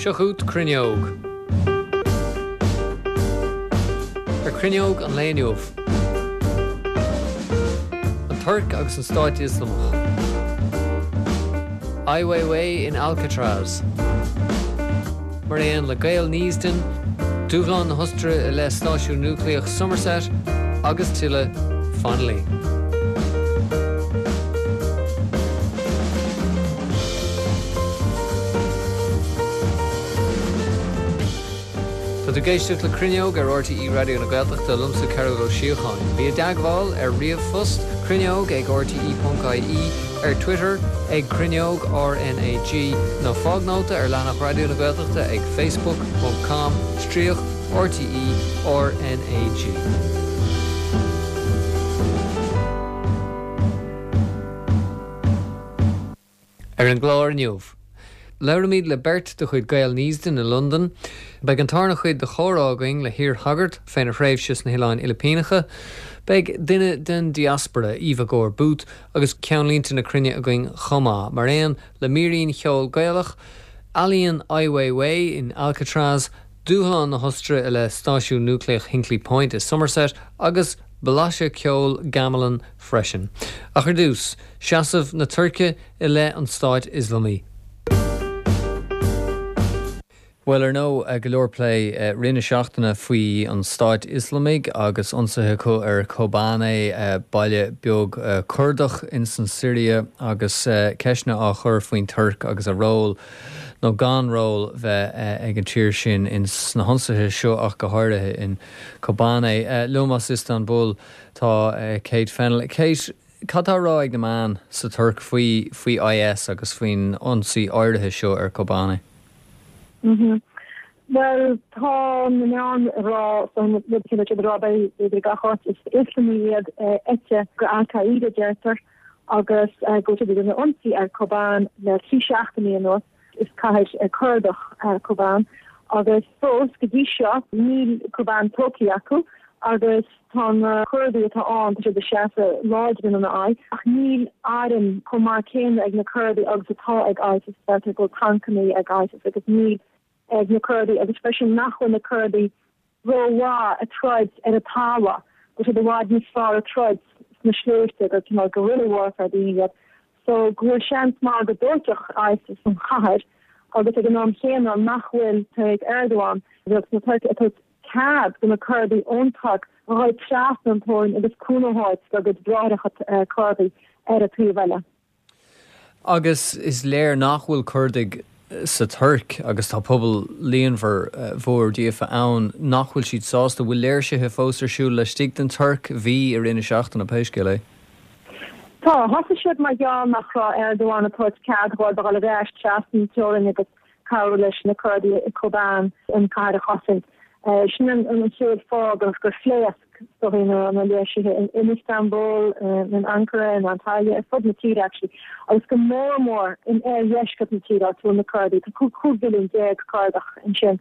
Seo chugat Cruinneog. Ar Cruinneog an lae inniu. An Tuirc agus an Stát Ioslamach. Ai Weiwei in Alcatraz. Mar aon le Gaeil Neasden, dúshlán na hOstaire i leith stáisiún núicléach Somerset agus tuilleadh. Fan linn. Tá tú ag éisteacht le Cruinneog ar RTÉ Raidió na Gaeltachta, liomsa Cearbhall Ó Síocháin. Bí i dteagmháil ar ríomhphost, cruinneog ag rte.ie, ar Twitter ag Cruinneog RnaG, nó fág nóta ar leathanach Raidió na Gaeltachta ag facebook ponc com stríoc RTÉ RnaG. Ar an gclár inniu, labhraímid le beirt de chuid Gael Neasden i Londain. Beidh an tarna chuid de chomhrá againn le hiar-shagart féna thréimhse sna hOileáin Fhilipíneacha. Beidh duine den diaspora, Eva Gore Booth, agus ceannlínte na cruinne againn chomh maith, mar aon le mírín cheoil Gaelach, ealaíon Ai Weiwei in Alcatraz, dúshlán na hOstaire i leith stáisiún núicléach Hinkley Point i Somerset agus blaiseadh ceoil gamelan freisin. Ach ar dtús, seasamh na Tuirce i leith an Stáit Ioslamaigh. Bhuel, ar ndóigh, go leor plé i rith na seachtaine faoi an Stáit Ioslamaigh agus ionsaithe acu ar Kobane, baile beag Curdach ins an Siria, agus ceisteanna á chur faoin Tuirc agus a ról, nó gan ról, bheith ag an tír sin ins na hionsaithe seo ach go háirithe in Kobane. Liom as Iostanbul tá Kate Fennell. Kate, cad tá á rá ag na meáin sa Tuirc faoi faoi IS agus faoin ionsaí áirithe seo ar Kobane? Bhuel, tá na meáin ag rá, so na rud céanna siad ag rá b'fhéidir gach áit, is Ioslamaigh iad eite go Al-Qaeda deirtear agus go bhfuil siad ag déanamh ionsaí ar Kobane le 3 seachtainí anuas. Is cathair Curdach Kobane agus fós go dtí seo níl Kobane tógtha acu agus tá na Curdaigh atá ann, tá siad ag seasamh láidir ina n-aghaidh ach níl airm chomh maith céanna ag na Curdaigh agus atá ag ISIS. Deirtear go bhfuil tancannaí ag ISIS agus níl ag na Curdaigh agus freisin nach bhfuil na Curdaigh rómhaith ag troid ar an talamh, go bhfuil siad i bhfad níos fearr ag troid sna sléibhte, gur cineál guerrilla warfare daoine iad. So go bhfuil seans maith go dtógfadh ISIS an chathair agus ag an am chéanna nach bhfuil Tayyip Erdogan, rialtas na Tuirce, ag tabhairt cead do na Curdaigh ón Tuirc a dhul trasna an teorainn agus cúnamh a thabhairt dá gcuid bráithreacha Curdaigh ar an taobh eile. Agus is léir nach bhfuil Curdaigh sa Tuirc, agus tá pobal líonmhar mhór díofa ann, nach bhfuil siad sásta. Bhfuil léirsithe fós ar siúl laistigh den Tuirc? Bhí i rith na seachtaine, pé scéal é. Tá. Thosaigh siad mar gheall nach raibh Erdogan ag tabhairt cead dhóibh a dhul ar ais trasna an teorainn agus cabhrú leis na Curdaigh i Kobane an cathair a chosaint. Sin an chéad fáth gur phléasc is dóigh na léirsithe in Istanbul, in Ankara, in Antalya, ar fud na tíre actually, agus go mór mór in oirdheisceart na tíre, áit a bhfuil na Curdaigh. Tá 15 mhilliún Curdach ansin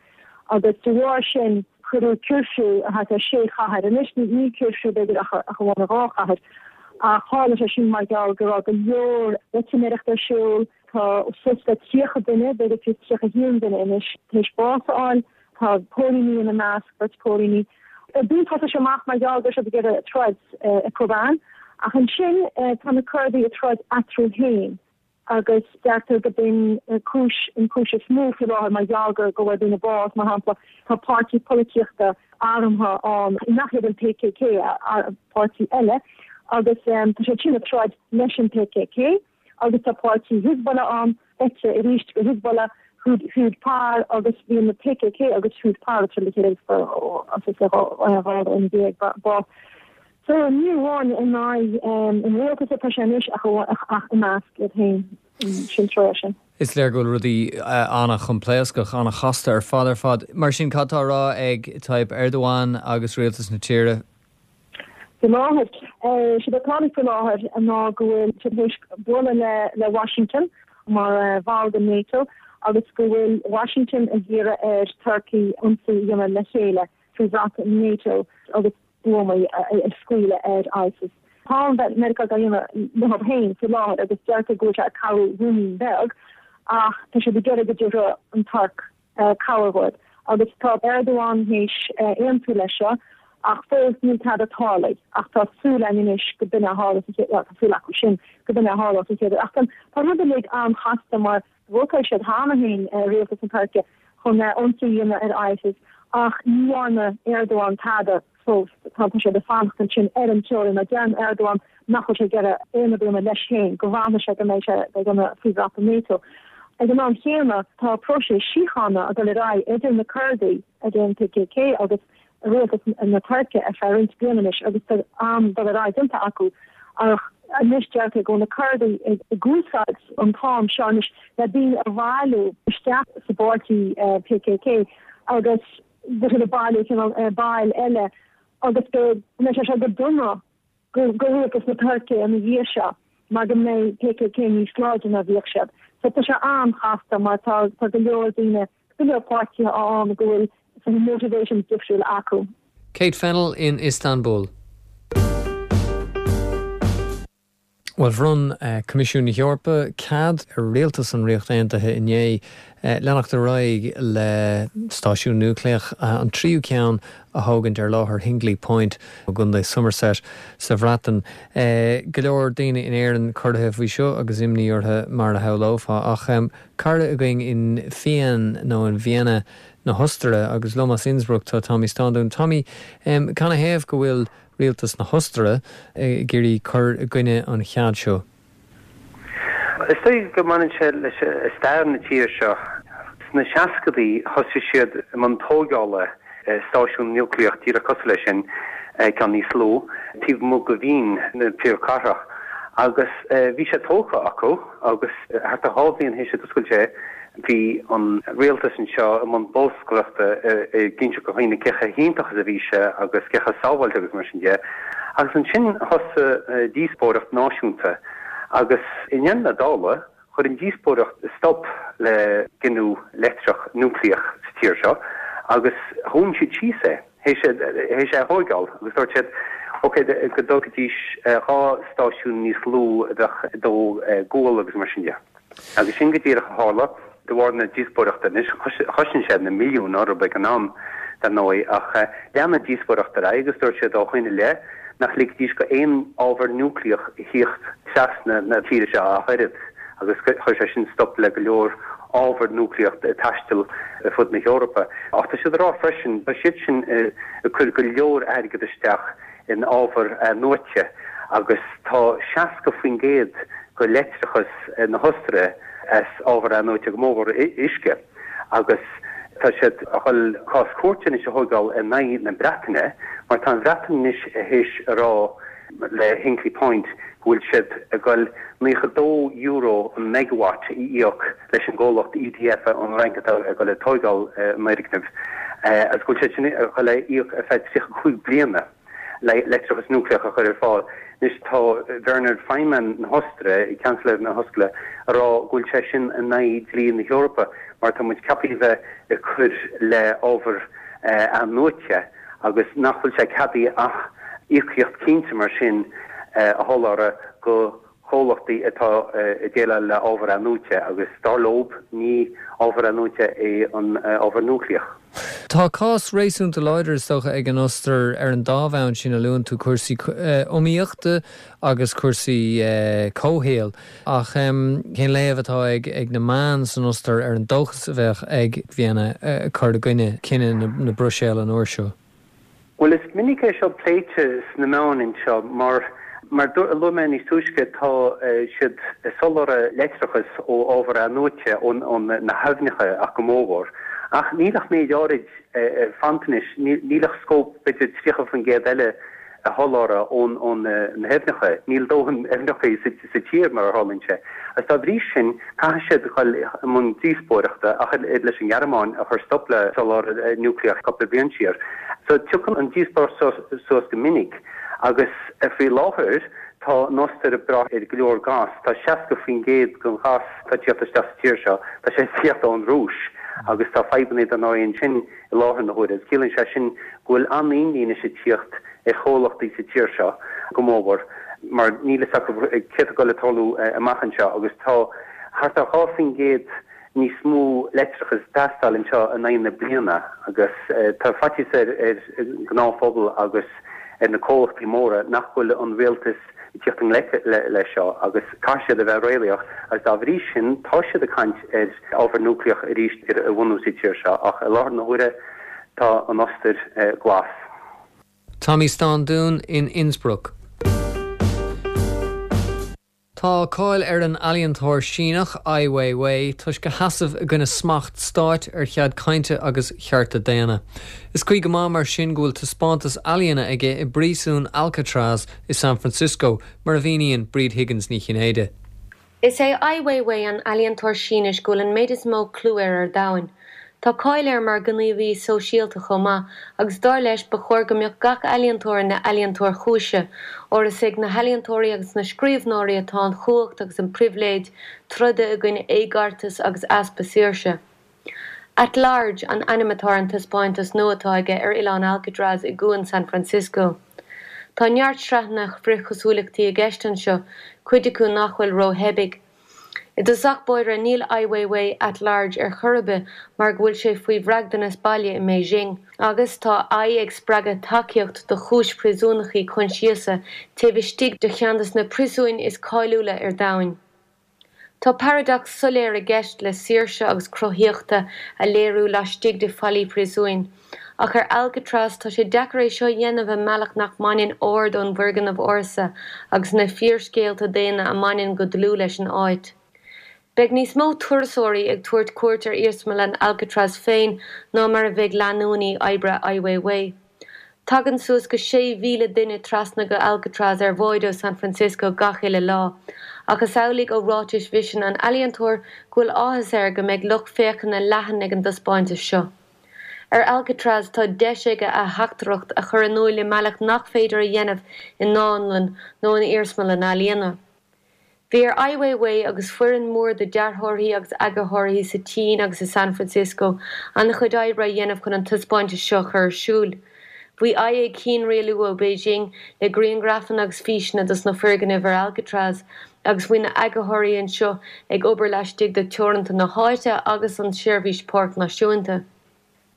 agus de bharr sin cuireadh cuirfiú thart ar sé chathair. Anois níl cuirfiú b'fhéidir ach amháin i dhá chathair ach tharla sé sin mar gheall go raibh go leor loitiméireachta ar siúl, Tá suas le 30 duine, b'fhéidir fiú 31 duine anois, tar éis bás a fháil. Tá póilíní ina measc, beirt póilíní. Ar dtús thosaigh sé amach mar gheall go raibh siad ag iarraidh troid i Kobane, ach ansin tá na Curdaigh ag troid eatarthu féin agus deirtear go b'in cúis, an cúis is mó faoi láthair mar gheall go go bhfuair daoine bás. Mar shampla, tá páirtí polaitíochta armtha ann nach iad an PKK, páirtí eile, agus tá siad sin ag troid leis an PKK. agus tá páirtí Hizbollah ann, eite arís de Hizbollah, Hüda Par agus bhí na PKK agus Hüda Par ag troid le chéile agus fuair 12 dhuine bás. So ní amháin in aghaidh an rialtais atá sé anois ach i measc iad féin, sin trua sin. Is léir go bhfuil rudaí an-choimpléascach, an-chasta ar fad ar fad. Mar sin, cad tá á rá ag Tayyip Erdogan agus rialtas na tíre? Faoi láthair, séard atá ann faoi láthair ná go bhfuil siad tar éis bualadh le Washington mar bhall de NATO agus go bhfuil Washington ag iarraidh ar Turkey ionsaí a dhéanamh le chéile faoi bhrat NATO agus buamaí a scaoileadh ar ISIS. Tá Meiriceá á dhéanamh leo féin faoi láthair agus deirtear go bhfuil sé ag cabhrú ruainnín beag ach tá siad ag iarraidh go dtiocfadh an Tuirc. Cabhair dhóibh. Agus tá Erdogan théis aontú leis seo, ach fós níl tada tarlaithe. Ach tá súil againn anois go b'in a tharlós an chéad, bhuel, tá súil acu sin go b'in a tharlós an chéad uair. Ach tá an rud uilig an-chasta mar vótáil siad cheana féin, rialtas na Tuirce, chun ionsaí a dhéanamh ar ISIS ach ní dhearna Erdogan tada fós. Tá siad ag fanacht ansin ar an teorainn mar deireann Erdogan nach bhfuil sé ag iarraidh aon obair a dhéanamh leis féin, go bhfanfaidh sé go mbeidh sé ag déanamh faoi bhrat an NATO. Ag an am chéanna, tá próiseas síochána ag dul ar aghaidh idir na Curdaigh ag an PKK agus rialtas na Tuirce ar feadh roinnt bliana anois agus tá an-dul ar aghaidh déanta acu ach anois deirtear go bhfuil na Curdaigh ag úsáid an t-am seo anois le daoine a bhailiú isteach sa bpáirtí PKK agus go bhfuil siad ag bailiú cineál baill eile agus go mbeidh sé seo go dona go rialtas na Tuirce ina dhiaidh seo mar go mbeidh PKK níos láidre ná bhíodh siad. So tá sé an-chasta mar tá tá go leor daoine, go leor páirtithe ann go bhfuil sort of motivations difriúla acu. Kate Fennell in Istanbul. Bhuel, bhronn Coimisiún na hEorpa cead ar rialtas an Ríocht Aontaithe inné leanacht ar aghaidh le stáisiún núicléach, an tríú ceann, a thógaint ar láthair Hinkley Point i gContae Somerset sa Bhreatain. Go leor daoine in Éirinn corraithe faoi seo agus imní orthu mar a shamhlófá. Ach cara againn in Wien nó in Vienna na hOstaire agus liom as Innsbruck tá Tommy Standún. Tommy, canathaobh go bhfuil rialtas na hOstaire ag iarraidh cur i gcoinne an chead seo? Is dóigh go mbaineann sé le stair na tíre seo. Sna seascadaí thosaigh siad i mbun tóigeála stáisiún núicléach díreach cosúil leis sin, ceann níos lú, taobh amuigh de Wien na príomhchathrach. Agus bhí sé tógtha acu agus thart ar dhá bhliain théis a d'oscailt sé, Bhí an rialtas anseo i mbun bolscaireachta ag inseacht do dhaoine cé chomh hiontach is a bhí sé agus cé chomh sábháilte agus mar sin de. Agus ansin thosaigh díospóireacht náisiúnta agus i ndeireadh na dála chuir an díospóireacht stop le giniúint leictreach núicléach sa tír seo agus dhún siad síos é, théis é a thóigeáil agus dúirt siad ok go dtógfaidís 2 stáisiún níos lú a bheadh ag dó gual agus mar sin de. Agus sin go díreach a tharla, de bharr na díospóireachta. Anois, chosain sé na milliúin orthu ag an am, dar ndóigh, ach lean an díospóireacht ar aghaidh agus dúirt siad ó shoin i leith nach ligfidís go aon ábhar núicléach a thíocht trasna na tíre seo ach oiread, agus chuir sé sin stop le go leor ábhar núicléach ag taisteal ar fud na hEorpa. Ach tá siad ag rá freisin, tá siad sin ag cur go leor airgead isteach in ábhar athnuaite agus tá 60% de leictreachas na hOstaire as ábhar athnuaite, go mórmhór uisce, agus tá siad a dhul cás cúirte anois a thóigeáil in aghaidh na Breataine mar tá an Bhreatain anois théis a rá le Hinkley Point go bhfuil siad ag dul €92 an megawatt a íoc leis an gcomhlacht EDF ón Fhrainc atá ag dul ag tóigeáil an fhoirgnimh agus go bhfuil siad sin ag dul a íoc ar feadh 35 bliana le leictreachas núicléach a chur ar fáil. Anois tá Werner Faymann na hOstaire, Seansailéir na hOstaire, ag rá go bhfuil sé sin in aghaidh dlí na hEorpa mar tá muid ceaptha a bheith ag cur le ábhar athnuaite agus nach bhfuil sé ceadaithe ach íocaíocht cinnte mar sin a sholáthar go comhlachtaí atá ag déileáil le ábhar athnuaite agus dar leob ní ábhar athnuaite é an ábhar núicléach. Tá cás réasúnta láidir, is dócha, ag an Ostair ar an dá bhonn sin a luann tú, cúrsaí iomaíochta agus cúrsaí comhshaoil. Ach cén léamh atá ag na meáin san Ostair ar an dóchas a bheadh ag Vienna cur i gcoinne cinneadh na Bruiséile an uair seo? Bhuel, is minic é seo pléite sna meáin anseo mar, mar a luaigh mé níos túisce, tá siad ag soláthar leictreachas ó ábhar athnuaite, ó na haibhneacha ach go mórmhór. Ach níl ach méid áirid fanta anois, níl ach scóip b'fhéidir 30% eile a sholáthar ó na haibhneacha. Níl dóthain aibhneacha sa tír, mar a tharlaíonn sé. Agus dá bhrí sin, caithfidh siad dul i mbun díospóireachta, ach oiread leis an nGearmáin a chuir stop le soláthar núicléach cúpla bliain siar. So tiocfaidh an díospóireacht seo suas go minic agus faoi láthair tá an Ostair ag brath ar go leor gás. Tá 60% den ghás atá ag tíocht isteach sa tír seo, tá sé ag tíocht ón Rúis agus tá fadhbanna dar ndóigh ansin i láthair na huaire. Ciallaíonn sé sin go bhfuil an-imní anois ag tíocht ar chomhlachtaí sa tír seo go mórmhór mar níl fhios acu céard atá ag dul a tarlú amach anseo agus tá thart ar 2%. níos mó leictreachas ag teastáil anseo in aghaidh na bliana agus tá faitíos ar an ngnáthphobal agus ar na comhlachtaí móra nach bhfuil an rialtas ag tíocht i ngleic leis seo agus caithfidh siad a bheith réalaíoch agus dá bhrí sin tá siad ag caint ar ábhar núicléach arís a bhunú sa tír seo ach i láthair na huaire tá an Ostair glas. Tommy Standún in Innsbruck. Tá cáil ar an ealaíontóir Síneach Ai Weiwei toisc a sheasamh i gcoinne smacht stáit ar chead cainte agus chearta daonna. Is cuí go maith mar sin go bhfuil taispeántas ealaíona aige i bpríosún Alcatraz i San Francisco, mar a mhíníonn Bríd Higgins Ní Chinnéide. Is é Ai Weiwei an ealaíontóir Sínis go bhfuil an méid is mó clú air ar domhain. Tá cáil air mar ghníomhaí sóisialta chomh maith, agus dar leis ba chóir go mbeadh gach ealaíontóir ina ealaíontóir chúise, óir is ag na healaíontóirí agus na scríbhneoirí atá an chumhacht agus an pribhléid troda i gcoinne éigeartas agus easpa saoirse. At Large an ainm atá ar an taispeántas nua atá aige ar oileán Alcatraz i gcuan San Francisco. Tá neart sraitheanna frithchosúlachtaí i gceist anseo, cuid acu nach bhfuil ró-theibí. I dtosach báire, níl Ai Weiwei at large ar chor ar bith mar go bhfuil sé faoi bhraighdeanas baile i mBeijing. Agus tá Ai ag spreagadh tacaíocht do chúis phríosúnachaí coinsiasa taobh istigh de cheann de na príosúin is cáiliúla ar domhain. Tá paradacs soiléir i gceist le saoirse agus cruthaíochta a léiriú laistigh de fallaí príosúin. Ach ar Alcatraz, tá sé deacair é seo a dhéanamh i mbealach nach mbaineann aird ón bhfoirgneamh ársa agus na fíorscéalta daonna a mbaineann go dlúth leis an áit. Beidh níos mó turasóirí ag tabhairt cuairt ar iarsmalann Alcatraz féin ná mar a bheidh leanúnaí oibre Ai Weiwei. Tagann suas go 6,000 duine trasna go Alcatraz ar bháid ó San Francisco gach uile lá, ach is amhlaidh ó ráitis mhisin an ealaíontóir go bhfuil áthas air go mbeidh lucht féachana leathan ag an dtaispeántas seo. Ar Alcatraz tá deis aige a theachtaireacht a chur in iúil i mbealach nach féidir a dhéanamh i ndánlann nó in iarsmalann ealaíona. Bhí ar Ai Weiwei agus foireann mór de dearthóirí agus eagarthóirí sa tSín agus i San Francisco an-chuid oibre a dhéanamh chun an taispeántas seo a chur ar siúl. Bhí Ai ag cianrialú ó Beijing le grianghrafanna agus físeanna dos na foirgnimh ar Alcatraz agus bhí na eagarthóirí anseo ag obair laistigh de teoranta na háite agus an tSeirbhís Páirc Náisiúnta.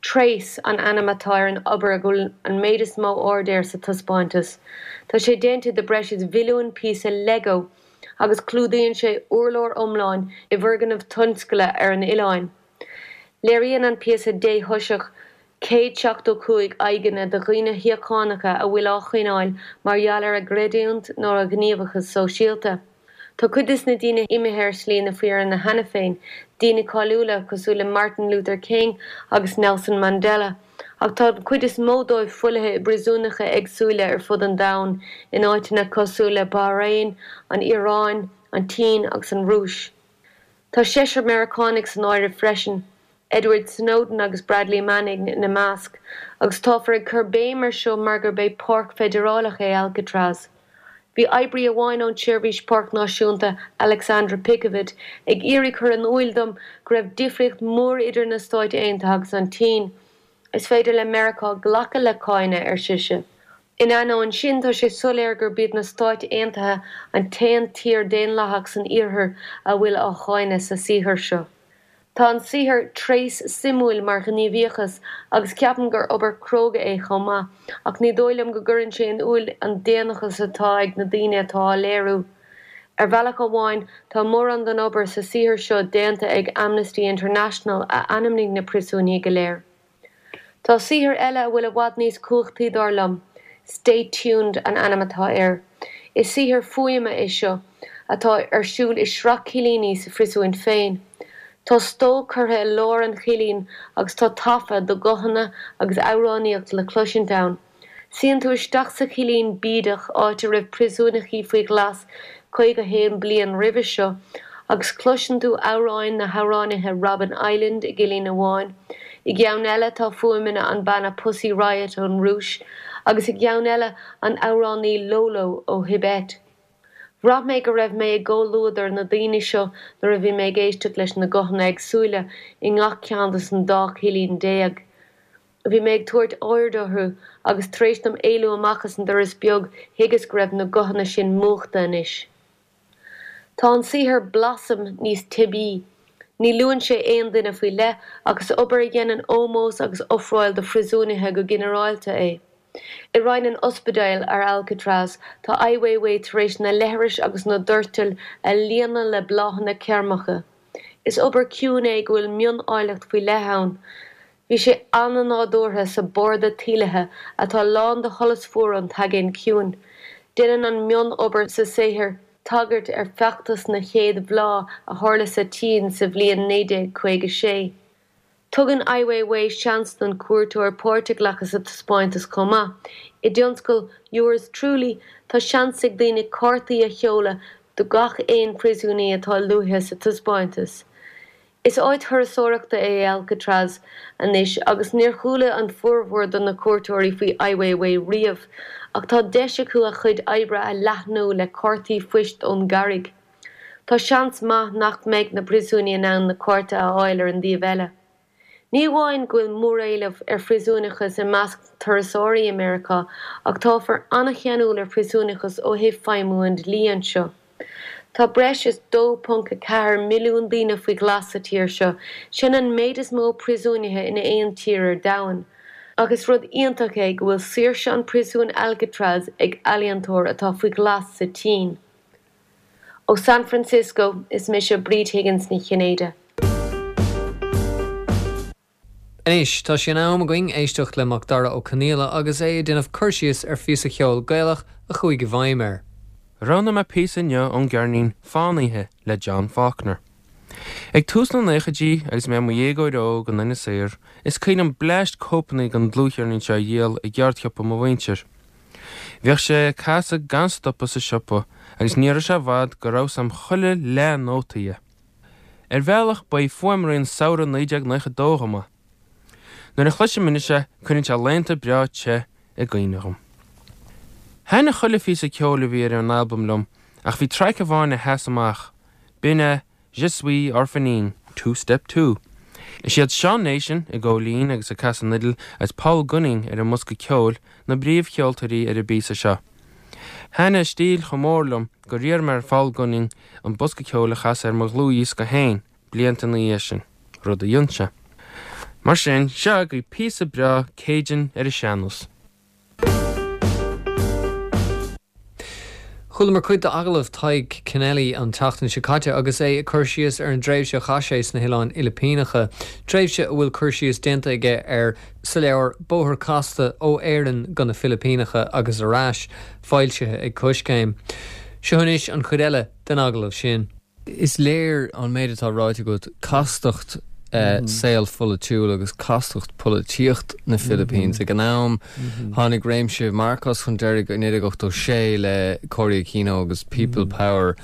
Trace an ainm atá ar an obair a bhfuil an méid is mó aird air sa taispeántas. Tá sé déanta de breis is mhilliún píosa Lego agus clúdaíonn sé urlár iomlán i bhfoirgneamh tionscail ar an oileáin. Léiríonn an píosa déthoiseach 175 aghaidheanna de dhaoine síochánacha a bhfuil á choinneáil mar gheall ar a gcreidiúint nó a ngníomhachas sóisialta. Tá cuid des na daoine imithe ar shlí na fírinne cheana féin, daoine cáiliúla cosúil le Martin Luther King agus Nelson Mandela, ach tá an chuid is mó dóibh folaithe i bpríosúnacha éagsúla ar fud an domhain, in áiteanna cosúil le Bahrain, an Iaráin, an tSín agus an Rúis. Tá seisear Meiriceánaigh san áireamh freisin, Edward Snowden agus Bradley Manning ina measc, agus táfar ag cur béim ar seo mar gurb é páirc feidearálach é Alcatraz. Bhí oibrí amháin ón tSeirbhís Páirc Náisiúnta, Alexandra Picavet, ag iarraidh cur in iúil dom go raibh difríocht mór idir na Stáit Aontaithe agus an tSín. Is féidir le Meiriceá glacadh le cáineadh, ar sise. In ainneoin sin, tá sé soiléir gurb iad na Stáit Aontaithe an t-aon tír daonlathach san Iarthar a bhfuil á cháineadh sa saothar seo. Tá an saothar Trace suimiúil mar ghníomhaíochas agus ceapaim gur obair cróga é chomh maith, ach ní dóigh liom go gcuireann sé in iúil an daonnachas atá ag na daoine atá á léiriú. Ar bhealach amháin, tá mórán den obair sa saothar seo déanta ag Amnesty International a ainmnigh na príosúnaigh go léir. Tá saothar eile a bhfuil i bhfad níos cumhachtaí dar liom. Stay Tuned an ainm atá air. Is saothar fuaime é seo, atá ar siúl i sraith cillíní sa phriosúin féin. Tá stó curtha i lár an chillín agus tá taifead de ghuthanna agus amhránaíocht le cloisint ann. Suíonn tú isteach sa chillín bídeach áit a raibh príosúnachaí faoi ghlas 51 bliain roimhe seo agus cloiseann tú amhráin na hamhránaithe Robin Island i gcillín amháin, i gceann eile tá fuaimeanna an banna Pussy Riot ón Rúis agus i gceann eile an amhránaí Lolo ó Thibet. Bhraith mé go raibh mé i gcomhluadar na daoine seo nuair a bhí mé ag éisteacht leis na guthanna éagsúla i ngach ceann des an dá chillín déag. Bhí mé ag tabhairt aird orthu agus tar éis dom éalú amach as an doras beag thuigeas go raibh na guthanna sin múchta anois. Tá an saothar Blossom níos teibí. Ní luann sé aon duine faoi leith ach is obair a dhéanann ómós agus ofráil do phríosúnaithe go ginearálta é. I roinn an ospidéil ar Alcatraz, tá Ai Weiwei tar éis na leithris agus na doirtil a líonadh le bláthanna ceirmeacha. Is obair ciúin é go bhfuil mion-áilleacht faoi leith ann. Bhí sé an-nádúrtha sa barda tuílithe atá lán de sholas fuar an tAigéin Ciúin. Déanann an mion-obair sa saothar tagairt ar feachtas na chéad bhláth a tharla sa tSín sa bhliain 1956. Tugann Ai Weiwei seans don chuairteoir páirt a ghlacadh sa taispeántas chomh maith. I dtionscal Yours Truly, tá seans ag daoine cártaí a sheoladh do gach aon phríosúnaí atá luaithe sa taispeántas. Is áit thurasóireachta é Alcatraz anois agus níor chuala an formhór de na cuairteoirí faoi Ai Weiwei riamh, ach tá deis acu a chuid oibre a leathnú le cártaí phoist ón gCarraig. Tá seans maith nach mbeidh na príosúnaigh in ann na cártaí a fháil ar an dtaobh eile. Ní amháin go bhfuil móréileamh ar phríosúnachas i measc turasóirí i Meiriceá ach táthar an-cheanúil ar phríosúnachas ó thaobh feidhmiú an dlí anseo. Tá breis is 2.4 milliún daoine faoi ghlas sa tír seo, sin an méid is mó príosúnaithe in aon tír ar domhan. Ach is rud iontach é go bhfuil saoirse an phríosúin Alcatraz ag ealaíontóir atá faoi ghlas sa tSín. Ó San Francisco, is mise Bríd Higgins Ní Chinnéide. Anois, tá sé in am againn éisteacht le Macdara Ó Conaola agus é ag déanamh cur síos ar phíosa cheoil Gaelach a chuaigh i bhfeidhm air. Roghnaigh mé píosa inniu ón gceirnín Fánaithe le John Faulkner. Ag tús na naochaidí agus mé i mo dhéagóir óg in Inis Oírr, is cuimhin liom bleaist cóipeanna den dlúthcheirnín seo a dhíol i gceardshiopa mo mhuintir. Bhíodh sé ag casadh gan stopadh sa siopa agus ní raibh sé i bhfad go raibh 's a'm chuile leath-nóta dhe. Ar bhealach, ba é fuaimrian samhradh 1992 dhom é. Nuair a chloisim anois é, cuireann sé laethanta breá te i gcuimhne dhom. Thaitnigh chuile phíosa ceoil a bhí ar an albam liom ach bhí traic amháin a sheas amach, b'in é Je suis Orpheline, Two Step Two. Is iad Sean Nation ag góilín agus ag casadh an fhidil agus Paul Gunning ar an mbosca ceoil na bpríomhcheoltóirí ar an bpíosa seo. Thaitnigh a stíl chomh mór liom gur iarr mé ar Phaul Gunning an bosca ceoil a chasadh ar mo dhlúthdhiosca féin blianta ina dhiaidh sin, rud a dhein sé. Mar sin, seo agaibh píosa breá Cajun ar an sean-nós. Chualamar cuid d'agallamh Tadhg Kennelly an tseachtain seo caite agus é ag cur síos ar an dtréimhse a chaith sé sna hOileáin Fhilipíneacha, tréimhse a bhfuil cur síos déanta aige air sa leabhar Bóthar Casta ó Éirinn go na Filipíneacha agus ar ais, foilsithe ag Coiscéim. Seo anois an chuid eile den agallamh sin. Is léir ón méid atá ráite agat castacht saol pholaitiúil agus castacht polaitíocht na Philippines. Ag an am, tháinig réimse Marcos chun deiridh i 1986 le Cory Aquino agus People Power.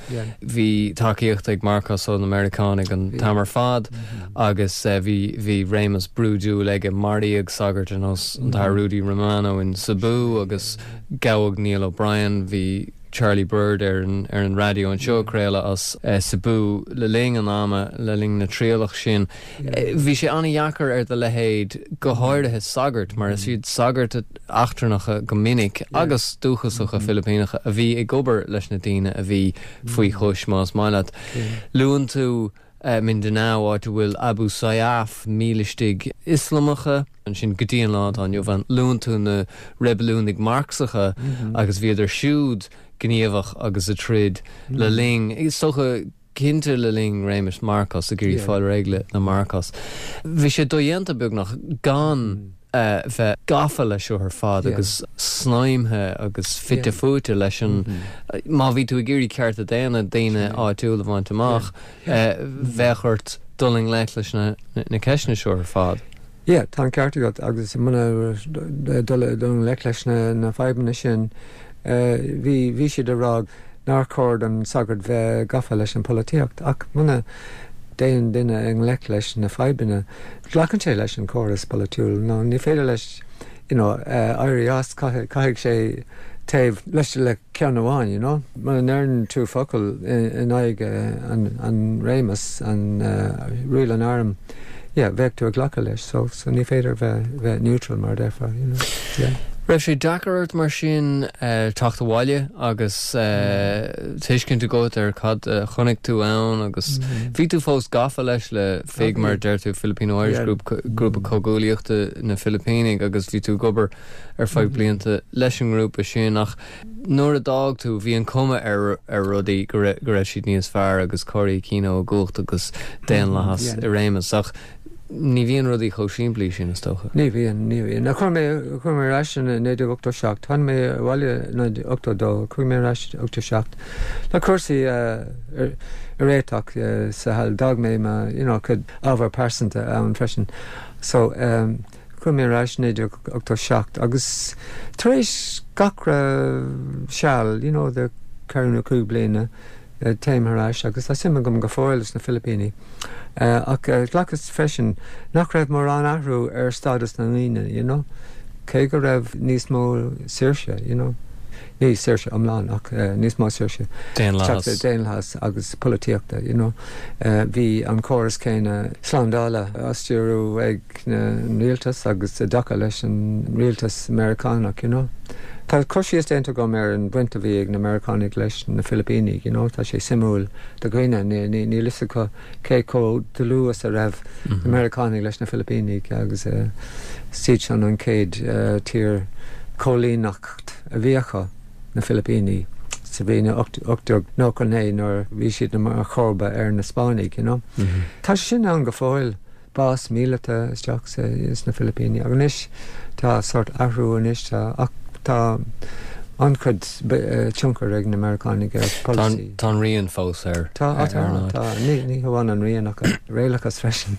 Bhí tacaíocht ag Marcos ó na Meiriceánaigh an t-am ar fad agus bhí bhí réimeas brúidiúil aige. Maraíodh sagart ar nós an tAthair Rudy Romano in Cebu agus gabhadh Niall O'Brien. Bhí Charlie Bird ar an ar an raidió anseo ag craoladh as Cebu le linn an ama, le linn na trialach sin. Bhí sé an-dheacair ar do leithéid, go háirithe sagairt, mar is iad sagairt eachtrannacha go minic agus dúchasacha Filipíneacha a bhí ag obair leis na daoine a bhí faoi chois, más maith leat. Luann tú Mindanao, áit a bhfuil Abu Sayyaf, mílistigh Ioslamacha, ansin go dtí an lá atá inniu ann. Luann tú na reibiliúnaigh Marxacha agus bhíodar siúd gníomhach agus ag troid le linn, is dócha, cinnte le linn réimeas Marcos, ag iarraidh fáil réidh le Marcos. Bhí sé dodhéanta beagnach gan bheith gafa leis seo ar fad agus snaidhmthe agus fite fuaite leis an, má bhí tú ag iarraidh cearta daonna daoine áitiúla a bhaint amach, bheadh ort dul i ngleic leis na ceisteanna seo ar fad. Yeah, tá an ceart agat agus muna dul i ngleic leis na fadhbanna sin, bhí, bhí siad ag rá nár chóir don sagart bheith gafa leis an polaitíocht ach muna dtéann duine i ngleic leis na fadhbanna, glacann sé leis an córas polaitiúil nó ní féidir leis you know éirí as, caithfidh sé taobh leis le ceann amháin you know. Muna ndeireann tú focal in aghaidh an réimeas, an riail an airm, yeah, bheadh tú ag glacadh leis so so ní féidir bheith bheith neutral mar a déarfá you know. Yeah. Raibh sé deacair ort mar sin teacht abhaile agus tuiscint agat ar cad a chonaic tú ann agus bhí tú fós gafa leis le FIG mar a deir tú, Filipino Irish Group, grúpa comhghuaillíochta na Filipínigh agus bhí tú ag obair ar feadh blianta leis an ngrúpa sin ach nuair a d'fhág tú bhí an cuma ar ar rudaí go raibh siad níos fearr agus Cory Aquino i gcumhacht agus daonlathas i réimeas ach ní bhíonn rudaí chomh simplí sin is dócha. Ní bhíonn, ní bhíonn. Chuaigh mé, chuaigh mé ar ais in 1987, tháinig mé abhaile in 1982, chuaigh mé ar ais in 87 le cúrsaí a réiteach sa hall, d'fhág mé mo, you know, cuid ábhar pearsanta ann freisin. So, Chuaigh mé ar ais i 1987 agus tar éis gach re seal, you know, de cheithre nó chúig bliana, téim thar ais agus tá suim agam go fóill sna Filipíní. Ach ghlacas freisin nach raibh mórán athrú ar stádas na ndaoine, you know, cé go raibh níos mó saoirse, you know, ní saoirse iomlán ach níos mó saoirse. Daonlathas. Daonlathas agus polaitíochta, you know. Bhí an córas céanna slándála á stiúrú ag. an rialtas agus i dtaca leis an rialtas Meiriceánach, you know. Tá cur síos déanta agam ar an bhaint a bhí ag na Meiriceánaigh leis na Filipínigh, you know, tá sé suimiúil do dhaoine, níl fhios acu cé chomh dlúth is a raibh na Meiriceánaigh leis na Filipínigh agus is iad sin an chéad tír coilíneacht a bhí acu, na Filipínigh, sa bhliain 1899 nuair a bhí siad mar chomharba ar na Spáinnigh, you know. Tá sé sin ann go fóill. bás míleata isteach sna Filipíní ach anois tá sórt athrú anois tá ach tá an-chuid tionchar ag na Meiriceánaigh ar polasaí. Tá an rian fós ar Tá tá tá ní ní hamháin an rian ach an réalachas freisin.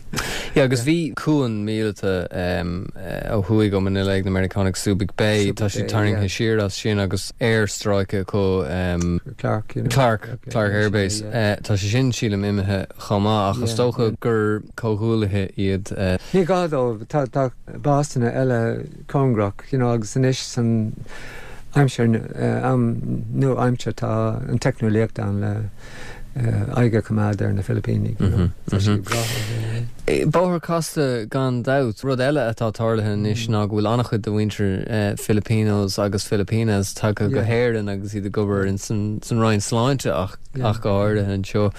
Yeah agus bhí cuan míleata ó thuaidh ó Manila ag na Meiriceánaigh Subic Bay tá siad tarraingthe siar as sin agus aerstráice acu Clark you know. Clark Clark Air Base tá sé sin sílim imithe chomh maith ach is dócha gur comhghuaillithe iad. Ní gá dóibh, tá tá básanna eile cóngarach, you know, agus anois san aimsir, am nua-aimseartha tá an teicneolaíocht ann le aghaidh a choimeád ar na Filipínigh, you know. Tá sé breá. Bóthar casta gan dabht. Rud eile atá tarlaithe anois ná go bhfuil an-chuid de mhuintir Filipinos agus Filipinas tagtha go hÉirinn agus iad ag obair san Roinn Sláinte ach go háirithe anseo.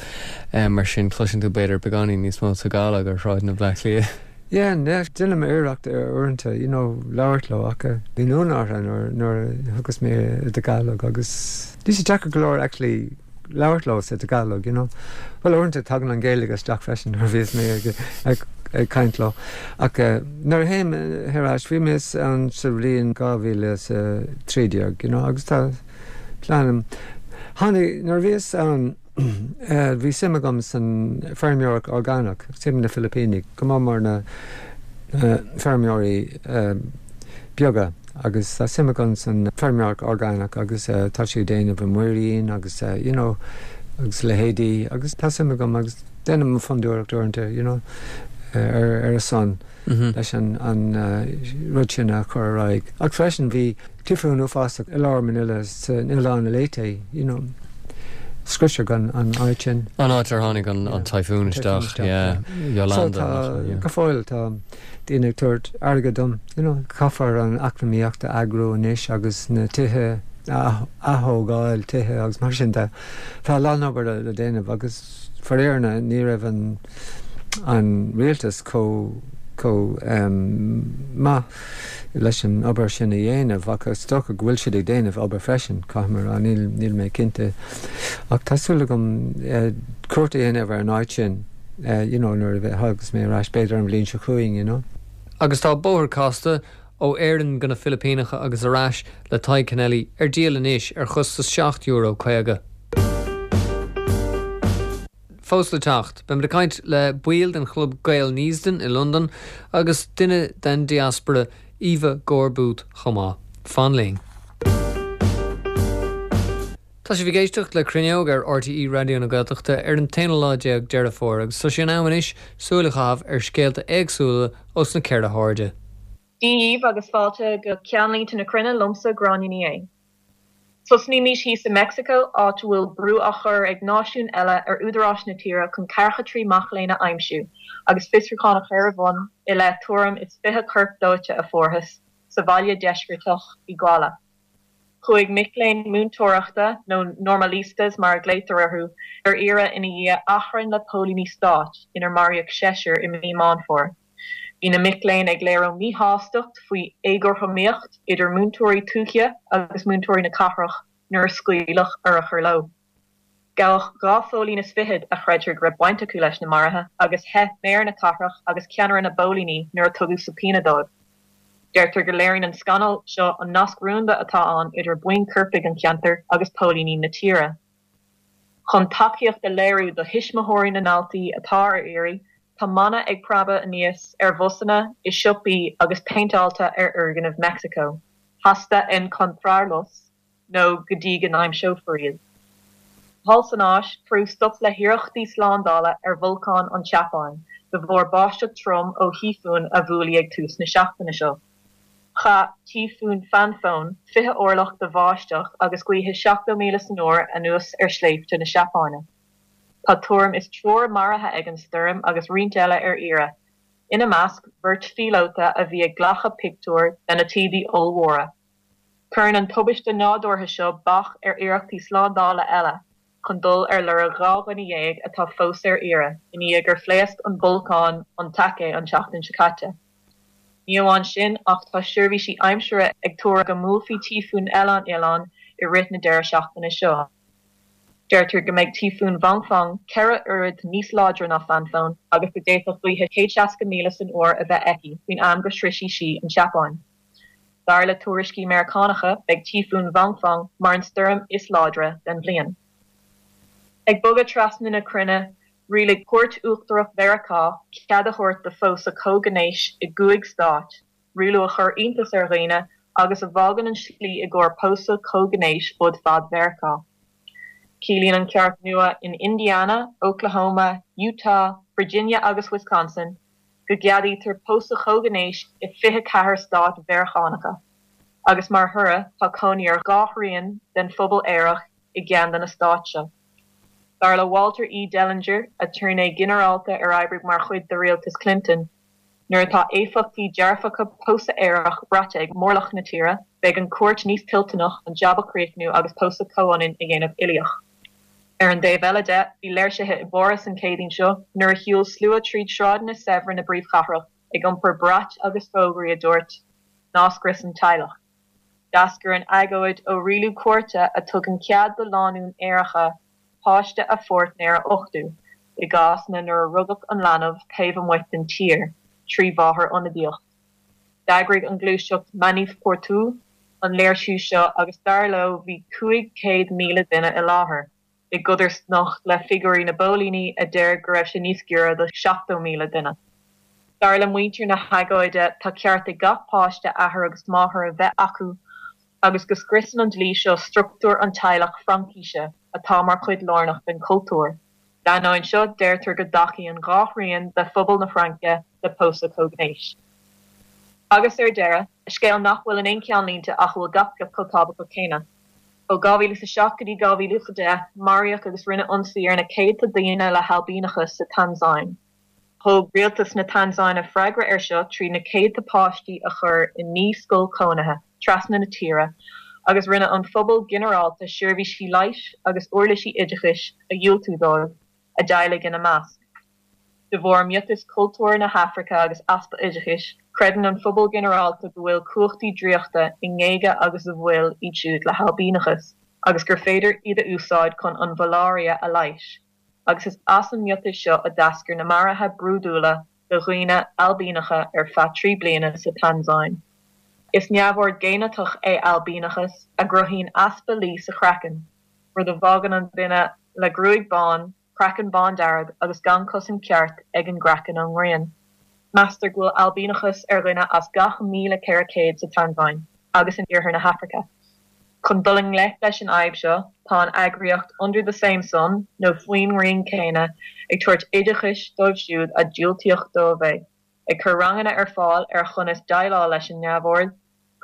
Mar sin, cloiseann tú b'fhéidir beagáinín níos mó Tagalog ar shráideanna Bhaile Átha Cliath. Yeah, yeah, déanaim iarracht uaireanta, you know, labhairt leo ach bíonn ionadh orthu nuair, nuair a thugas mé i dTagalog agus bhí sé deacair go leor actually labhairt leo sa Tagalog, you know. Bhuel, uaireanta tagann an Ghaeilge isteach freisin nuair a bhíos mé ag, ag, ag caint leo. Ach nuair a théim ar ais, bhí mé ann sa bhliain 2013, you know, agus tá plean, tháinig, nuair a bhíos ann, Bhí suim agam san feirmeoireacht orgánach, suim na Filipínigh, go mór mór na feirmeoirí beaga agus tá suim agam san feirmeoireacht orgánach agus tá sé ag déanamh i muirín agus you know agus leithéidí agus tá suim agam agus déanaim fondúireacht uaireanta you know ar a son leis an rud sin a chur ar aghaidh. Ach freisin bhí Tíofún uafásach i lár Manila san oileán Leyte, you know, scriosadh an an áit sin. An áit ar tháinig an an typhoon isteach, yeah, Yolanda. So tá, go fóill tá daoine ag tabhairt airgead dom, you know, caithfear an eacnamaíocht a eagrú anois agus na tithe a athógáil, tithe agus mar sin de. Tá a lán obair le déanamh agus faraor ní raibh an an rialtas chomh chomh maith leis an obair sin a dhéanamh ach is dócha go bhfuil siad ag déanamh obair freisin, caithfidh mé a rá, níl, níl mé cinnte. Ach tá súil agam cuairt a dhéanamh ar an áit sin you know nuair a thagas mé ar ais, b'fhéidir an bhliain seo chugainn, you know. Agus tá Bóthar Casta, ó Éirinn go na Filipíneacha agus ar ais le Tadhg Kennelly ar díol anois ar chostas €7.50. Fós le teacht, beimid ag caint le baill den chlub Gael Neasden i Londain agus duine den diaspora, Eva Gore-Booth, chomh maith. Fan linn. Tá sibh ag éisteacht le Cruinneog ar RTÉ Raidió na Gaeltachta ar an t-aonú lá déag Deireadh Fómhair agus tá sé in am anois súil a chaitheamh ar scéalta éagsúla ós na ceithre hairde. Dia dhaoibh agus fáilte go Ceannlínte na Cruinne liomsa Gráinne Ní Aodha. Tosnaímís thíos i Meicsiceo, áit a bhfuil brú á chur ag náisiúin eile ar údaráis na tíre chun ceathracha 3 mac léinn a aimsiú agus fiosrúchán a chur ar bun i leith tuairim is 20 corp dóite a fuarthas sa bhaile deisceartach Iguala. Chuaigh mic léinn múinteoireachta, nó normalistas mar a ghlaotar orthu, ar iarraidh ina dhiaidh achrann le póilíní stáit inar maraíodh seisear i mí Meán Fómhair. Bhí na mic léinn ag léiriú míshástacht faoi éagothromaíocht idir múinteoirí tuaithe agus múinteoirí na cathrach nuair a scaoileadh urchair leo. Gabhadh 2 phóilín is fichead a chreidtear go raibh baint acu leis na maruithe agus theith méara na cathrach agus ceannaire na bpóilíní nuair a tugadh subpoena dóibh. Deirtear go léiríonn an scannal seo an nasc rúnda atá ann idir buíon coirpigh an cheantair agus póilíní na tíre. Chun tacaíocht a léiriú do thuismitheoirí na ndaltaí atá ar iarraidh, tá mana ag preabadh aníos ar bhusanna, i siopaí agus péinteáilte ar fhoirgnimh Meicsiceo, Hasta encontrarlos. nó go dtí go n-aimseofar iad. Thall san Áis, cuireadh stop le hiarrachtaí slándála ar bholcán an tSeapáin de bharr báisteach trom ó thíofún a bhuail í ag tús na seachtaine seo. Chaith Tíofún Phanfone 20 orlach de bháisteach agus gaotha 70 míle san uair anuas ar shléibhte na Seapáine. Tá tuairim is triúr maraithe ag an stoirm agus roinnt eile ar iarraidh, ina measc beirt phíolóta a bhí ag glacadh pictiúr de na taoidí ollmhóra. Cuireann an tubaiste nádúrtha seo bac ar iarrachtaí slándála eile chun dul ar lorg 12 dhuine atá fós ar iarraidh i ndiaidh gur phléasc an bolcán Ontake an tseachtain seo caite. Ní amháin sin ach tá seirbhísí aimsire ag tuar go mbuailfidh tíofún eile an oileán i rith na deireadh seachtaine seo. Deirtear go mbeidh tíofún Vongfong 4 oiread níos láidre ná Phanfone agus go d'fhéadfadh gaotha 160 míle san uair a bheith aici faoin am go sroisfidh sí an tSeapáin. Dar le tuairiscí Meiriceánacha, beidh Tíofún Vongfong mar an stoirm is láidre den bhliain. Ag bogadh trasna na cruinne, rialaigh Cúirt Uachtarach Mheiriceá cead a thabhairt do phósadh comhghnéis i gcúig stát, rialú a chuir iontas ar dhaoine agus a bhfágann an slí i gcomhair pósadh comhghnéis fud fad Mheiriceá. Ciallaíonn an ceart nua in Indiana, Oklahoma, Utah, Virginia agus Wisconsin go gceadaítear pósadh comhghnéis i 24 stát Mheiriceánacha, agus mar thoradh tá cónaí ar dhá thrian den phobal aerach i gceann de na stáit seo. Dar le Walter E. Dellinger, aturnae ginearálta ar oibrigh mar chuid de rialtas Clinton, nuair atá éifeachtaí dearfacha pósadh aerach braite ag mórlach na tíre, beidh an chúirt níos toilteanach an jab a chríochnú agus pósadh comhionann a dhéanamh uilíoch. Ar an dtaobh eile de, bhí léirsithe i bPáras an Chéadaoin seo nuair a shiúil slua tríd sráideanna saibhre na bpríomhchathrach ag iompar brait agus fógraí a dúirt 'Ná scrios an teaghlach'. D'eascair an agóid ó rialú cúirte a tugann cead do lánúin aeracha páiste a pháirtnéir a uchtú, i gcásanna nuair a rugadh an leanbh taobh amuigh den tír, trí mháthair ionadaíoch. D'eagraigh an ghluaiseacht Manif Pour Tous an léirsiú seo agus dar leo bhí 500,000 duine i láthair, i gcodarsnacht le figiúirí na bpóilíní a deir go raibh sé níos giorra do 70,000 duine. Dar le muintir na hagóide tá ceart ag gach páiste athair agus máthair a bheith acu agus go scriosann an dlí seo struchtúr an teaghlach Fraincise atá mar chuid lárnach den chultúr. D'ainneoin seo, deirtear go dtacaíonn dhá thrian de phobal na Fraince le pósadh comhghnéis. Agus ar deireadh, scéal nach bhfuil in aon cheannlínte ach a bhfuil gach pioc chomh tábhachtach céanna. Ó 2007 go dtí 2010, maraíodh agus rinneadh ionsaí ar na céadta daoine le hailbíneachas sa Tansáin. Thug rialtas na Tansáine freagra air seo trí na céadta páistí a chur i naoi scoil chónaithe trasna na tíre agus rinne an phobal ginearálta seirbhísí leighis agus uirlisí oideachais a dhiúltú dóibh, a dteaghlaigh ina measc. De bharr miotas cultúir na hAfraice agus easpa oideachais, creideann an phobal ginearálta go bhfuil cumhachtaí draíochta i ngéaga agus i bhfuil iad siúd le hailbíneachas agus gur féidir iad a úsáid chun an mhaláiria a leighis. agus is as an miotas seo a d'eascair na maruithe brúidiúla de dhaoine ailbíneacha ar feadh 3 bliana sa Tansáin. Is neamhord géiniteach é ailbíneachas a gcruthaíonn easpa lí sa chraiceann, rud a bhfágann an duine le gruaig bán, craiceann bándearg agus gan cosaint ceart ag an gcraiceann ón ngrian. Meastar go bhfuil ailbíneachas ar dhuine as gach 1,400 sa Tansáin agus in iarthar na hAfraice. Chun dul i ngleic leis an fhadhb seo, tá an eagraíocht Under the Same Sun, nó Faoin nGrian Chéanna, ag tabhairt oideachais dóibh siúd a diúltaíodh dóibh é, ag cur ranganna ar fáil ar chonas déileáil leis an neamhord,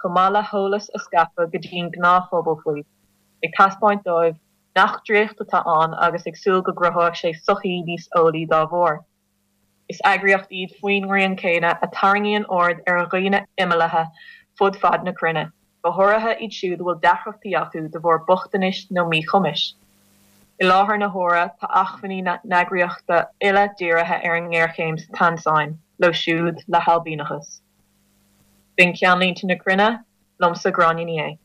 chomh maith le heolas a scaipeadh go dtí an gnáthphobal faoi, ag taispeáint dóibh nach draíocht atá ann agus ag súil go gcruthóidh sé sochaí níos eolaí dá bharr. Is eagraíocht iad Faoin nGrian Chéanna a tarraingíonn aird ar dhaoine imeallaithe. fud fad na cruinne, go háirithe iad siúd a bhfuil deacrachtaí acu de bharr bochtanais nó míchumais. I láthair na huaire, tá acmhainní na n-eagraíochta uile dírithe ar an ngéarchéim sa Tansáin, leo siúd le hailbíneachas. B'in Ceannlínte na Cruinne, liomsa Gráinne Ní Aodha.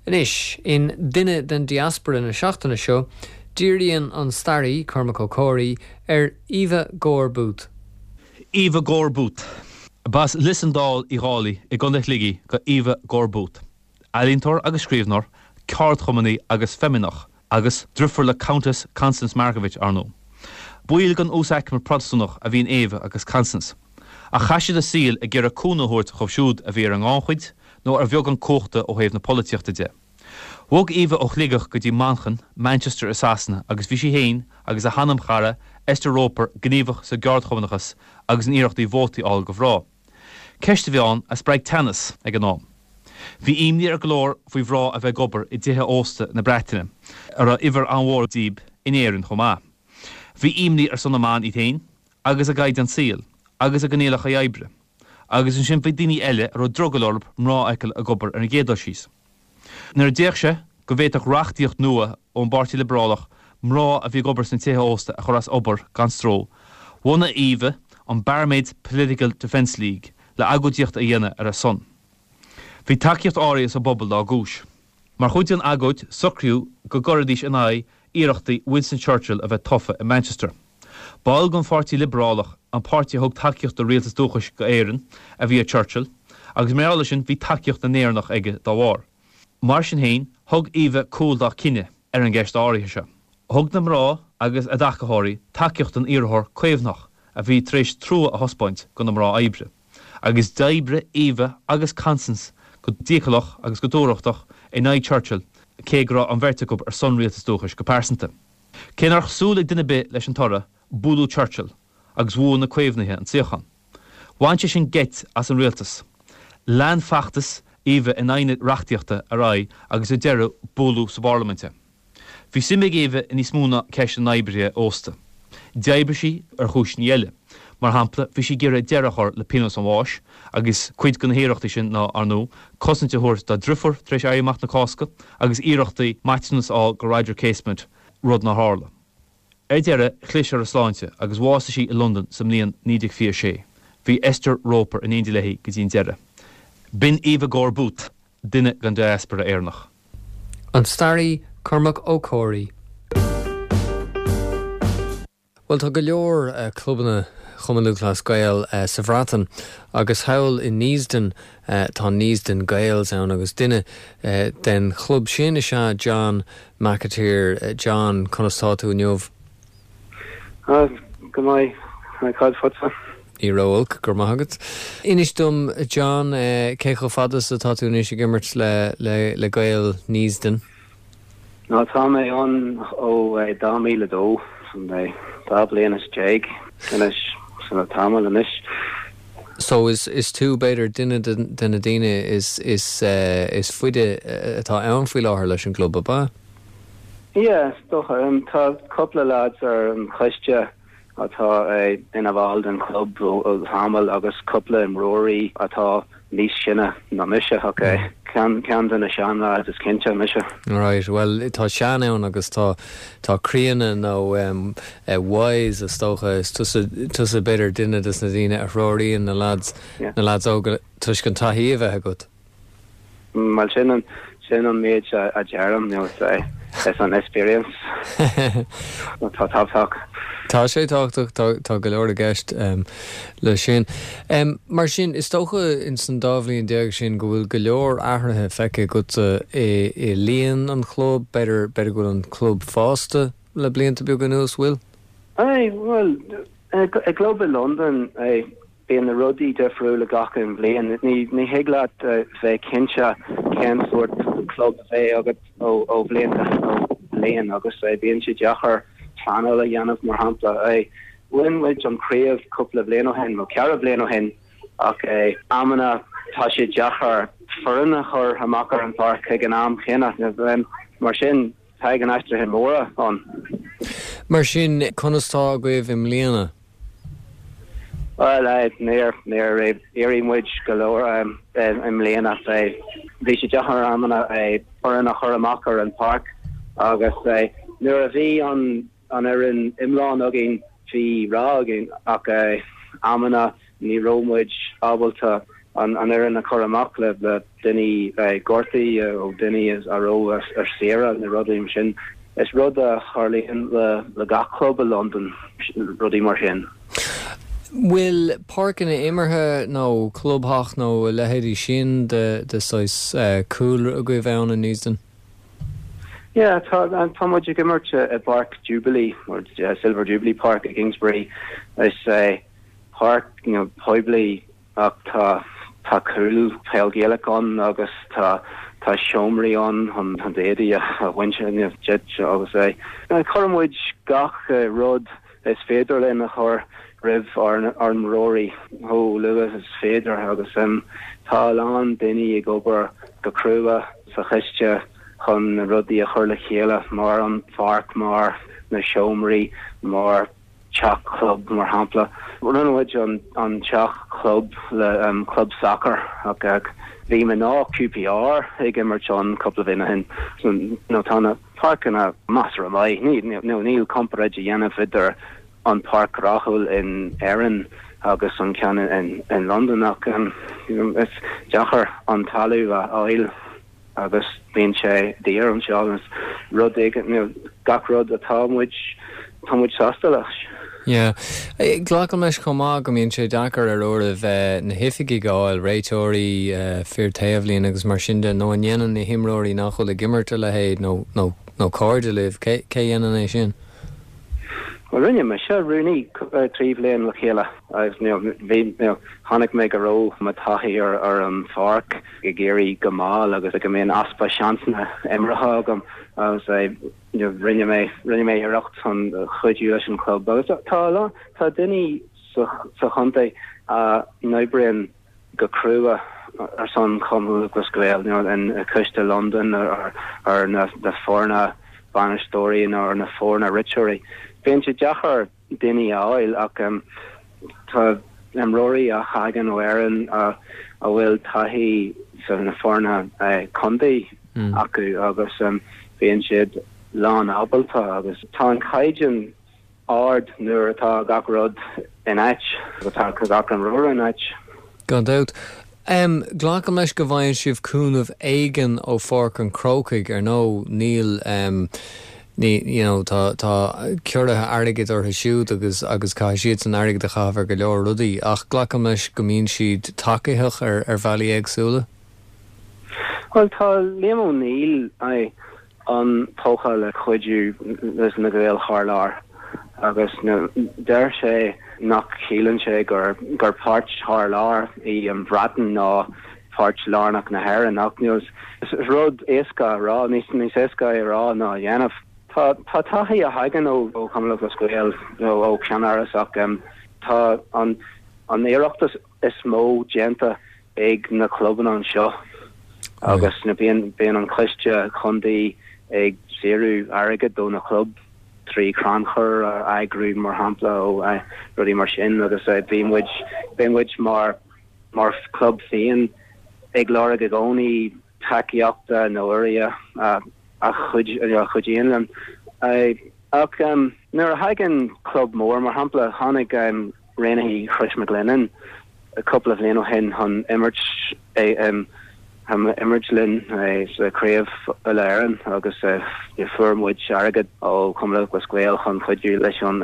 Anois, in Duine den Diaspora na seachtaine seo, díríonn an staraí, Cormac Ó Comhraí, ar Eva Gore Booth. Eva Gore Booth. B'as Lios an Dál Uí Dhálaigh i gContae Shligigh do Eva Gore Booth. Ealaíontóir agus scríbhneoir, ceardchumannaí agus feimineach, agus driofúr le Countess Constance Markievicz, ar ndóigh. Baill den uasaicme Protastúnach a bhí in Eva agus Constance, ach chaith siad a saol ag iarraidh cúnamh a thabhairt dhóibh siúd a bhí ar an ngannchuid nó ar bheagán cumhachta ó thaobh na polaitíochta de. Bhog Eva ó Shligeach go dtí Manchain, Manchester i Sasana agus bhí sí féin agus a hanamchara Esther Roper gníomhach sa gceardchumannachas agus in iarrachtaí vótaí a fháil do mhná. Ceist a bhí ann a spreag teannas ag an am. Bhí imní ar go leor faoi mhná a bheith ag obair i dtithe ósta na Breataine, a raibh uimhir an-mhór díobh in Éirinn chomh maith. Bhí imní ar son na mban iad féin agus a gcaighdeán saoil agus a gcoinníollacha oibre. Agus ansin bhí daoine eile a raibh drogall orthu mná a fheiceáil ag obair ar an gcéad dul síos. Nuair a d'fhéach sé go bhféadfadh reachtaíocht nua ón bPáirtí Liobrálach mná a bhí ag obair sna tithe ósta a chur as obair gan stró, bhunaigh Eva an Barmaids Political Defence League le agóidíocht a dhéanamh ar a son. Bhí tacaíocht áirithe sa bpobal dá gcúis. Mar chuid den agóid socraíodh go gcuirfidís in aghaidh iarrachtaí Winston Churchill a bheith tofa i Manchester. Ball den Pháirtí Liobrálach, an páirtí a thug tacaíocht do Rialtas Dúchais go Éirinn, a bhí i Churchill, agus mar gheall air sin bhí tacaíocht na nÉireannach aige dá bharr. Mar sin féin, thug Eva cúl dá cinneadh ar an gceist áirithe seo. Thug na mná agus a dtacaitheoirí tacaíocht don iarrthóir Caomhnach a bhí tar éis trua a thaispeáint do na mná oibre, agus d'oibrigh Eva agus Constance go dícheallach agus go dúthrachtach in aghaidh Churchill, cé go raibh an bheirt acu ar son Rialtas Dúchais go pearsanta. Cé nár súil ag duine ar bith leis an toradh, buaileadh Churchill agus bhuaigh na Caomhnaithe an suíochán. Bhain sé sin geit as an rialtas. Lean feachtas Eva in aghaidh na reachtaíochta ar aghaidh agus ar deireadh buaileadh sa bparlaimint é. Bhí suim ag Eva i níos mó ná ceist na n-oibrithe ósta. D'oibrigh sí ar chúiseanna eile. Mar shampla, bhí sí ag iarraidh deireadh a chur le pionós an bháis agus cuid de na hiarrachtaí sin ná, ar ndóigh, cosaint a thabhairt dá driofúr tar éis Éirí Amach na Cásca agus iarrachtaí maiteanas a fháil do Roger Casement, rud nár tharla. Ar deireadh, chlis ar a sláinte agus bhásaigh sí i Londain sa mbliain 1926. Bhí Esther Roper in éindí léi go dtí an deireadh. B'in Eva Gore Booth, duine den diaspora Éireannach. An staraí Cormac Ó Comhraí. Bhuel, tá go leor clubanna Chumann Lúthchleas Gael sa Bhreatain agus thall i Neasden tá Neasden Gaels ann agus duine den chlub sin is ea John McAteer. John, conas tá tú inniu? Go maith, cad fútsa? Ní ró-olc, go raibh maith agat. Inis dom, John, cé chomh fada is atá tú anois ag imirt le Gaeil Neasden? Nó tá mé ann ó 2002, sin 12 bliana anois, sin tamall anois. So is is tú b'fhéidir duine de na daoine is is is faide atá ann faoi láthair leis an gclub, ab ea? Yeah, is dócha. Tá cúpla lads ar an choiste atá ina bhall den chlub ó thamall agus cúpla imreoirí atá níos sine ná mise ach ceann ceann de na sean-lads is cinnte mise. Right, bhuel tá sean ann agus tá tá críonna nó wise is dócha, is tusa tusa b'fhéidir duine des na daoine a threoraíonn na lads na lads óga toisc an taithí a bheith agat. Bhuel sin an sin an méid a deirim, you know, is an experience atá tábhachtach. Tá sé tábhachtach, tá tá go leor i gceist le sin. Mar sin, is dócha ins an dá bhliain déag sin go bhfuil go leor athruithe feicthe agatsa i i líon an chlub, b'fhéidir b'fhéidir go bhfuil an club fásta le blianta beaga anuas, bhfuil? Aye, bhuel, i gclub i Londain, Bíonn na rudaí difriúil gach aon bhliain. Ní thig leat bheith cinnte cén sórt club a bheidh agat ó bhliain go bliain agus bíonn sé deacair pleanáil a dhéanamh mar shampla. Bhain muid an chraobh cúpla bliain ó shin, nó ceithre bliain ó shin ach amanna tá sé deacair foireann a chur amach ar an pháirc ag an am chéanna. Mar sin tagann aistrithe móra ann. Mar sin, conas tá agaibh i mbliana? Bhuel, níor, níor éirigh muid go leor i mbliana. Bhí sé deacair amanna foireann a chur amach ar an pháirc agus nuair a bhí an an fhoireann iomlán againn bhí rath againn ach amanna ní raibh muid ábalta an fhoireann a chur amach le daoine gortaithe nó daoine a raibh ar saoire nó rudaí mar sin. Is rud a tharlaíonn le gach club i Londain, rudaí mar sin. Bhfuil páirceanna imeartha nó clubtheach nó a leithéidí sin de saghas cúlra agaibh ann in Neasden? Yeah, tá, tá muid ag imirt i bPáirc Jubilee, or Silver Jubilee Park i Kingsbury. Is páirc, you know, poiblí ach tá, tá cúl peil Gaelach ann agus tá, tá seomraí ann chun, chun d'éadaí a bhaint díot agus é. Cuireann muid gach rud is féidir linn a chur roimh ár n-imreoirí chomh luath is féidir agus tá a lán daoine ag obair go crua sa choiste chun na rudaí a chur le chéile mar an pháirc, mar na seomraí, mar teach club mar shampla. Rinne muid an teach club le club sacair ach bhí mná QPR ag imirt ann cúpla bhliain ó shin. Tá na páirceanna measartha maith. Níl comparáid a dhéanamh idir an páirc rathúil in Éirinn agus an ceann in Londain ach is deacair an talamh a fháil agus bíonn sé daor anseo. Is rud éigin, gach rud atá muid, tá muid sásta leis. Yeah. Glacaim leis chomh maith go mbíonn sé deacair ar uairibh na hoifigigh a fháil, réiteoirí, fir taobhlíne agus mar sin de, nó an ndéanann na himreoirí nach bhfuil ag imirt a leithéid nó nó nó cairde libh, cé cé dhéanann é sin? Bhuel rinne mise rúnaí 3 bhliain le chéile agus you know bhí you know chonaic mé go raibh mo taithí ar ar an pháirc ag éirí go mall agus go mbíonn easpa seansanna imeartha agam agus Rinne mé, rinne mé iarracht chun cuidiú leis an chlub agus tá a lán, tá daoine sa, sa chontae a n-oibríonn go crua ar son Chumann Lúthchleas Gael, you know, in Coiste Londan ar, ar na, na foirne bainisteoirí nó ar na foirne réiteoirí. Bíonn sé deacair daoine a fháil ach tá imreoirí a thagann ó Éirinn a bhfuil taithí sna foirne contae acu agus bíonn siad lán ábalta agus tá an caighdeán ard nuair atá gach rud in áit, atá gach imreoir in áit. Gan dabht. Glacaim leis go bhfaigheann sibh cúnamh éigin ó Pháirc an Chrócaigh, ar ndóigh níl, ní, you know, tá, tá ciorruithe airgid orthu siúd agus, agus caithfidh siadsan airgead a chaitheamh ar go leor rudaí ach glacaim leis go mbíonn siad tacaitheach ar, ar bhealaí éagsúla. Bhuel tá Liam O'Neill, aye, an-tógtha le cuidiú leis na Gaeil thar lear agus deir sé nach síleann sé gur gur páirt thar lear í an Bhreatain ná páirt lárnach na hÉireann ach is rud éasca a rá, níos níos éasca é a rá ná a dhéanamh. Tá tá taithí a thagann ó ó Chumann Lúthchleas Gael nó ó Cheannáras ach tá an an iarracht is mó déanta ag na clubanna anseo agus bíonn bíonn an coiste contae ag saothrú airgead do na club trí crannchur a eagrú mar shampla ó rudaí mar sin agus bíonn muid bíonn muid mar mar chlub féin ag lorg i gcónaí tacaíochta nó urraíocht a chuidíonn linn. Ach nuair a thagann club mór mar shampla tháinig Raonaithe Chrois McGlennan cúpla bhliain ó shin chun imirt imirt linn sa Craobh Uile-Éireann agus fuair muid airgead ó Chumann Lúthchleas Gael chun cuidiú leis an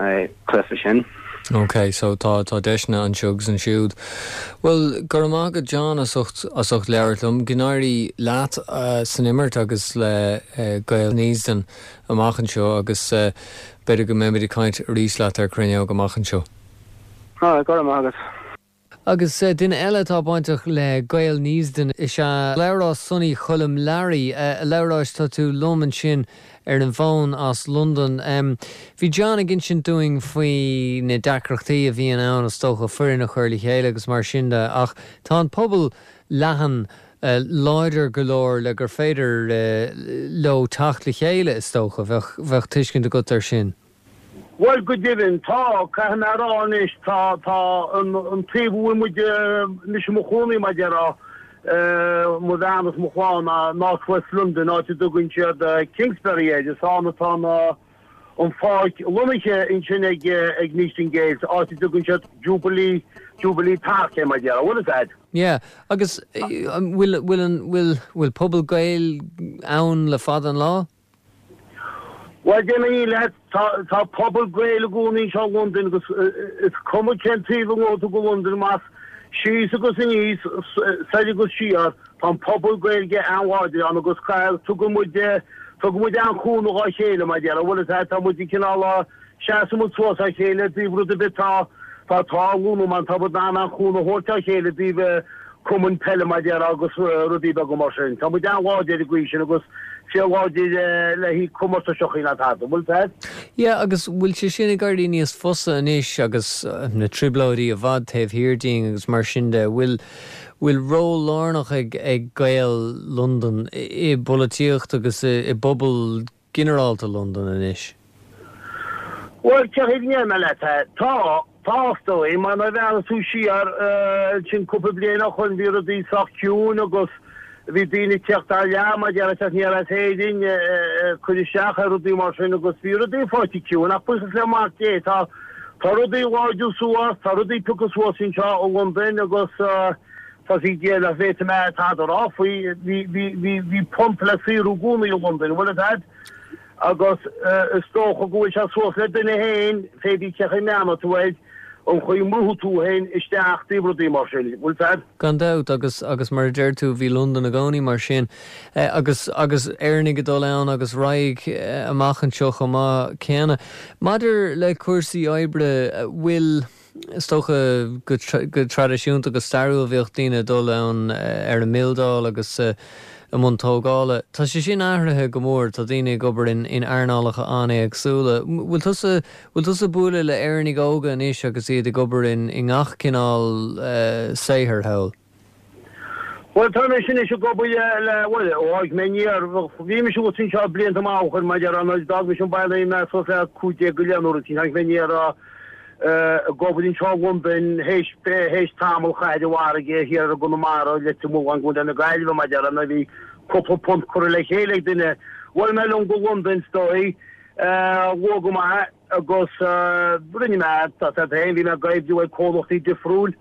cluiche sin. Ok, so tá tá deiseanna anseo agus ansiúd. Bhuel, go raibh maith agat John as ucht as ucht labhairt liom. Go n-éirí leat san imirt agus le Gaeil Neasden amach anseo agus b'fhéidir go mbeimid ag caint arís leat ar Cruinneog amach anseo. Go raibh maith agat. Agus duine eile atá bainteach le Gaeil Neasden is ea Labhrás Sonny Choilm Learaí. A Labhráis, tá tú liom ansin ar an bhfón as Londain. Bhí John ag insint dúinn faoi na deacrachtaí a bhíonn ann, is dócha, foireann a chur le chéile agus mar sin de, ach tá an pobal leathan láidir go leor le gur féidir leo teacht le chéile, is dócha. Bheadh, bheadh tuiscint agat air sin. Bhuel, go deimhin, tá. Caithfidh mé a rá anois, tá, tá an taobh a bhfuil muid, mise i mo chónaí, mar a déarfá, mo bhean is mo chlann, ná North West London, áit a dtugann siad Kingsbury air. Is ann atá na, an pháirc lonnaithe ansin ag, ag Neasden Gaels, áit a dtugann siad Jubilee, Jubilee Park air, mar a déarfá. Bhfuil fhios a'd? Yeah. Agus bhfuil, bhfuil an, bhfuil, bhfuil pobal Gael ann le fada an lá? Bhuel, déarfaidh mé leat, tá pobal Gael i gcónaí anseo i Londain agus is cuma cén taobh a ngabhfaidh tú go Londain, más síos agus aníos, soir agus siar, tá an pobal Gaeilge an-láidir ann agus tugann muid, tugann muid an-chúnamh dhá chéile, mar a déarfá, bhfuil fhios a'd, tá muid cineál, Seasann muid suas dá chéile i dtaobh rud ar bith atá ag tarlú nó má tá muid in ann an chúnamh a thabhairt dá chéile i dtaobh cumainn peile mar a déarfá agus rudaí beaga mar sin. Tá muid an-láidir ar an gcaoi sin agus fíor láidir le haghaidh comórtaisí ná tada. Bhfuil fhios a'd? Yeah agus bhfuil sé sin ag éirí níos fusa anois agus na trioblóidí i bhfad taobh thiar dínn agus mar sin de, bhfuil bhfuil ról lárnach ag ag Gaeil Londan i bpolaitíocht agus i i bpobal ginearálta Londan anois? Bhuel, cén chaoi a ndéarfaidh mé leat é? Tá, tá is dóigh, mar nuair a bhreathnaíos tú siar ansin cúpla bliain ó shoin bhí rudaí sách ciúin agus bhí daoine ag tíocht thar lear mar a déarfá ag teacht aniar as Éirinn ag cur isteach ar rudaí mar sin agus bhí rudaí faighte ciúin ach buíochas le Mac Dé tá tá rudaí ag láidriú suas, tá rudaí ag piocadh suas anseo i Londain agus Tá a fhios ag Dia nach bhféadfaidh mé tada a rá faoi. Bhí, bhí, bhí, bhí punt le saothrú i gcónaí i Londain, an bhfuil fhios a'd? Agus is dócha go bhfuil sé suas le duine féin, pé bí cén chaoi a mbreathnóidh tú air, an chaoi a mbrúfaidh tú féin isteach dtaobh rudaí mar sin, bhfuil fhios a'd? Gan dabht, agus, agus mar a deir tú, bhí Londain i gcónaí mar sin. Agus, agus Éireannaigh ag dul ann agus raghaidh amach anseo chomh maith céanna. Maidir le cúrsaí oibre, bhfuil. Is dócha go traidisiúnta, go stairiúil, bhíodh daoine ag dul ann ar an mbildeáil agus i mbun tógála. Tá sé sin athraithe go mór, tá daoine ag obair in earnálacha an-éagsúla. Bhfuil tusa, bhfuil tusa ag bualadh le Éireannaigh óga anois agus iad ag obair i ngach cineál saothair thall? Bhuel, tá mise anois ag obair le, bhuel, ó tháinig mé aniar, bhí mise thuas anseo blianta maith ó shoin, mar a déarfá, nuair a d'fhág mise an baile bhí mé suas le 15 go leith nó rud éicint, tháinig mé aniar ag obair anseo i Londain théis, théis tamall a chaitheamh ar an bhfarraige thiar i gConamara, Leitir Mealláin, i gContae na Gaillimhe, mar a déarfá, nuair a bhí cúpla punt curtha le chéile ag duine. Bhuail mé liom go Londain, is dóigh, luath go maith. Agus rinne mé, tá a fhios agat féin, bhí mé ag oibriú ag comhlachtaí difriúil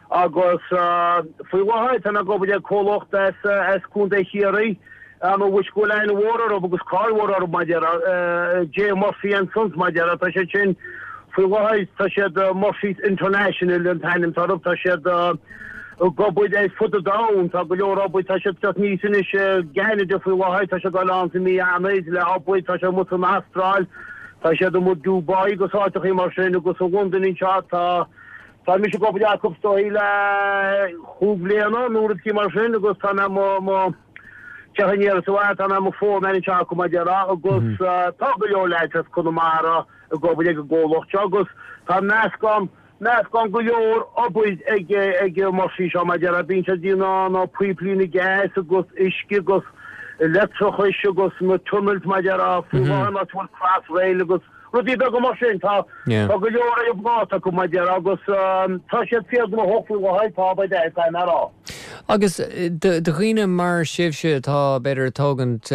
agus faoi láthair tá mé ag obair ag comhlacht as as Contae Chiarraí, ar ndóigh go bhfuil aithne mhór orthu agus cáil mhór orthu mar a déarfá, J Murphy and Sons mar a déarfá, tá siad sin faoi láthair, tá siad Murphy's International an t-ainm atá orthu, tá siad ag obair ar fud an domhain, tá go leor obair, tá siad ag teacht aníos anois i gCeanada faoi láthair, tá siad ag dul ann sa mí Eanáir le obair, tá siad amuigh san Astráil. Tá siad amuigh i Dubai agus áiteachaí mar sin agus i Londain anseo tá tá mise ag obair acu is dóigh le chúig bhliana nó rud éicint mar sin agus tá mé mo mo teach aniar is abhaile tá mé mo foreman anseo acu mar a déarfá agus tá go leor leaids as Conamara ag obair ag an gcomhlacht seo agus tá meascán Meascán go leor obair ag ag Murphy seo mar a déarfá bíonn siad ag déanamh na píoplíne gas agus uisce agus leictreachais agus na tunnels mar a déarfá faoi láthair an áit a bhfuil Crossrail agus rudaí beaga mar sin. Tá tá go leor ar an bpláta acu mar a déarfá agus tá siad fíor gnóthach faoi láthair tá by dad caithfidh mé a rá. Agus do dhaoine mar sibhse atá b'fhéidir ag tógaint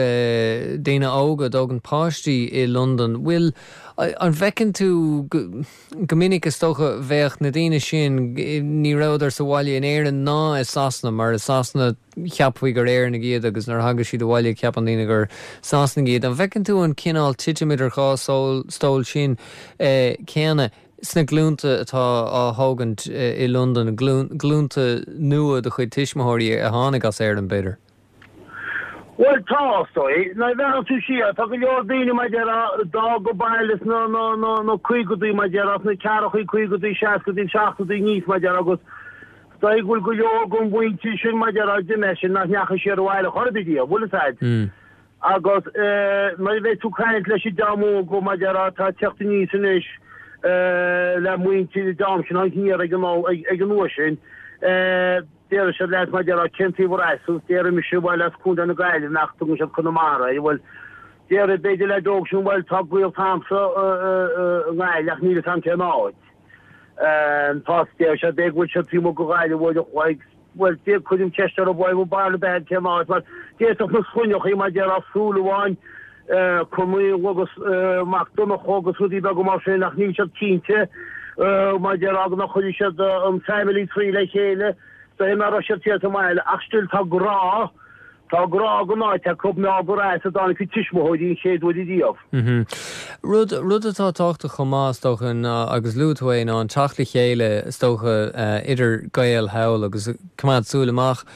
daoine óga, ag tógaint páistí i Londain, bhfuil an bhfeiceann tú go Go minic, is dócha, bheadh na daoine sin, ní rabhadar sa bhaile in Éirinn ná i Sasana, mar i Sasana cheapfaí gur Éireannaigh iad agus nuair a thagadh siad abhaile ceapann daoine gur Sasanaigh iad. An bhfeiceann tú an cineál titim idir dhá stól sin céanna sna glúnta atá á thógaint i Londain, glúnta nua de chuid tuismitheoirí a tháinig as Éirinn, b'fhéidir? Bhuel, tá, is dóigh. Nuair a bhreathnaíonn tú siar, tá go leor daoine, mar a déarfá, a d'fhág an baile sna, na, na, na caogadaí, mar a déarfá, sna ceathrachaí, caogadaí, seascadaí, seachtóidí aníos, mar a déarfá, agus is dóigh go bhfuil go leor den mhuintir sin, mar a déarfá, a d'imigh sin, nach ndeachaigh siar abhaile chor ar bith riamh, bhfuil fhios a'd. Agus nuair a bheidh tú ag caint leis an dream óg, mar a déarfá, atá ag teacht aníos anois, le muintir an dream sin, tháinig aniar ag an, ag an uair sin, Déarfaidh siad leat mar a déarfá cén taobh ar as thú, déarfaidh mise bhuel as Contae na Gaillimhe ach tugann siad Conamara air, bhuel. Déarfaidh b'fhéidir leaid óg sin bhuel tá gaolta a'msa i nGaillimh ach níl fhios a'm cén áit. Tá deir siad b'fhéidir go bhfuil siad taobh amuigh de Ghaillimh uair a chloig. Bhuel déan cuirim ceist orthu bhuel an baile beag cén áit mar d'fhéadfadh na sloinneachaí mar déarfá Súilleabháin, Conaill agus Mac Donncha agus rudaí beaga mar sin ach níl siad cinnte mar déarfá go nach chuirfidh siad an family tree le chéile is dóigh nach raibh siad thiar sa mbaile ach still tá grá Tá grá don áit acu, mar gur as a dtáinig a tuismitheoirí an chéad uair ariamh. Rud, rud atá tábhachtach chomh maith, is dócha, ná, agus luaigh tú é, ná an teacht le chéile, is dócha, idir Gaeil thall agus coimeád súil amach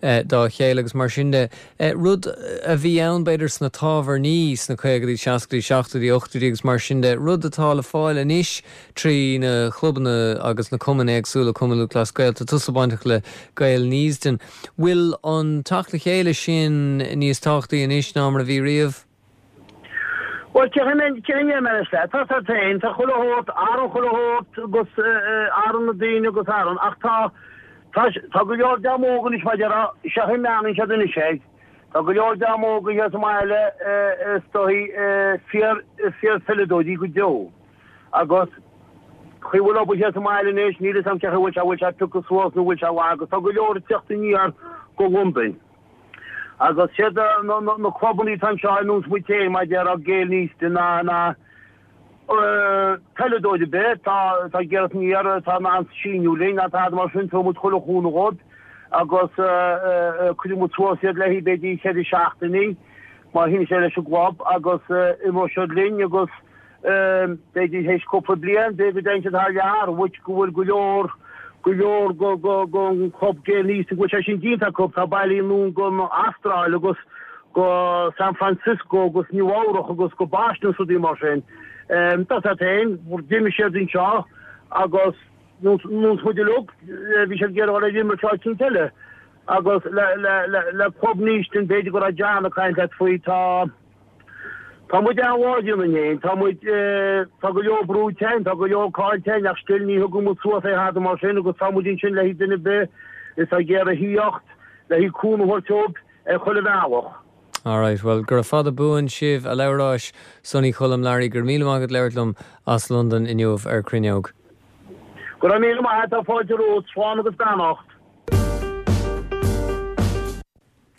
dá chéile agus mar sin de. Rud a bhí ann, b'fhéidir, sna tábhairní sna caogaidí, seascaidí, seachtóidí, ochtóidí agus mar sin de, rud atá le fáil anois trí na clubanna agus na cumainn éagsúla, Cumann Lúthchleas Gael, tá tusa bainteach le Gaeil Neasden. Bhfuil an teacht le chéile sin níos tábhachtaí anois ná mar a bhí riamh? Bhuel, cé hé mar is leat? Tá siad féin, tá chuile shórt, athraíonn chuile shórt agus athraíonn na daoine agus athraíonn, ach tá, tá, tá go leor dream óg anois mar a déarfá, sé an chaoi a mbreathnaíonn siad anois air, tá go leor dream óg thíos sa mbaile is dóigh fíor, fíor-pheileadóirí go deo. Agus chaoi a bhfuil obair thiar sa mbaile anois, níl fhios a'm cé chaoi a bhfuil sé, bhfuil sé pioctha suas nó bhfuil sé lag agus tá go leor ag teacht aniar go Londain. Agus siad na, na, na clubannaí atá anseo ar nós muid féin, mar a déarfá Gaeil Neasden ná, ná peileadóir ar bith, tá, tá ag iarraidh aniar, atá in ann síniú linn, ná tada mar sin, tabharfaidh muid chuile chúnamh dhóibh agus cuirfidh muid suas iad le haghaidh b'fhéidir cheithre seachtainí má shíníonn sé leis an gclub agus imreoidh siad linn agus B'fhéidir théis cúpla bliain, b'fhéidir go dtéann siad thar lear, which go bhfuil go leor, go leor go, go, go an club Gaeil Neasden go bhfuil sé sin déanta acu. Tá bailithe anonn go an Astráil agus go San Francisco agus Nua Eabhrach agus go Boston agus rudaí mar sin. Tá siad féin, d'imigh siad anseo agus nós muid uilig, bhí siad ag iarraidh dul ar imirce áit eicínt eile. Agus le, le, le, le club Neasden, b'fhéidir go raibh John ag caint leat faoi, tá, Tá muid an-láidir ionainn fhéin, tá muid, tá go leor brúite againn, tá go leor caillte againn ach still ní thugann muid suas é tada mar sin agus tá muid ansin le haghaidh duine ar bith atá ag iarraidh thíocht, le haghaidh cúnamh a thabhairt dóibh ar chuile bhealach. Alright, bhuel, gura fada buan sibh, a Labhráis, Sonny Choilm Learaí, go raibh míle maith agat labhairt liom as Londain inniu ar Cruinneog. Go raibh míle maith agat, tá fáilte romhat, slán agus beannacht.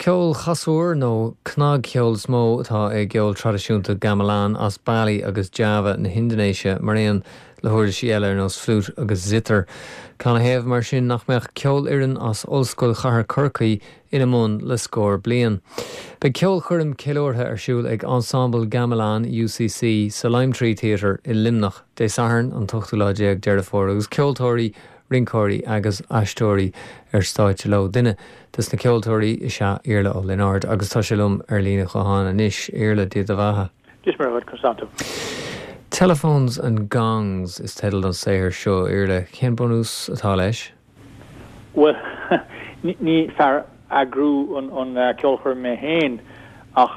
Ceol casúr nó cnagcheol is mó atá i gceol traidisiúnta gamelan as Bali agus Java na hIndinéise, mar aon le huirlisí eile ar nós fliút agus zither. Canathaobh, mar sin, nach mbeadh ceolfhoireann as Ollscoil Chathair Chorcaí ina mbun le scór bliain? Beidh ceolchoirm ceiliúrtha ar siúl ag Ensemble Gamelan UCC sa Lime Tree Theatre i Luimneach Dé Sathairn an t-ochtú lá déag Deireadh Fómhair agus ceoltóirí, rinceoirí agus aisteoirí ar stáitse leo. Duine des na ceoltóirí is ea Iarla Ó Lionáird agus tá sé liom ar líne ghutháin anois. Iarla, Dia do bheatha. Dia is Muire dhuit, Constanta. Telephones and Gongs is teideal don saothar seo, Iarla. Cén bunús atá leis? Bhuel, ní fear eagrú an ceolchoirm mé féin ach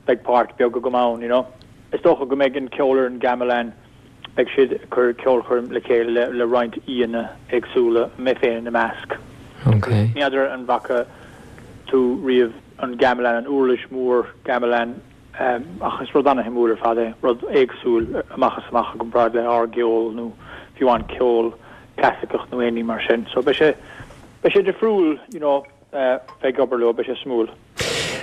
beidh páirt beag agam ann, you know. Is dócha go mbeidh an ceolfhoireann Gamelan Beidh siad ag cur ceolchoirm le chéile le roinnt aíonna éagsúla, mé féin ina measc. Ní fheadar an bhfaca tú riamh an gamelan, an uirlis mhór gamelan, ach is rud ana-shuimiúil ar fad é, rud éagsúil amach is amach i gcomparáid le ár gceol nó fiú amháin ceol clasaiceach nó aon ní mar sin. So beidh sé, beidh sé difriúil, you know. bheith ag obair leo, beidh sé suimiúil.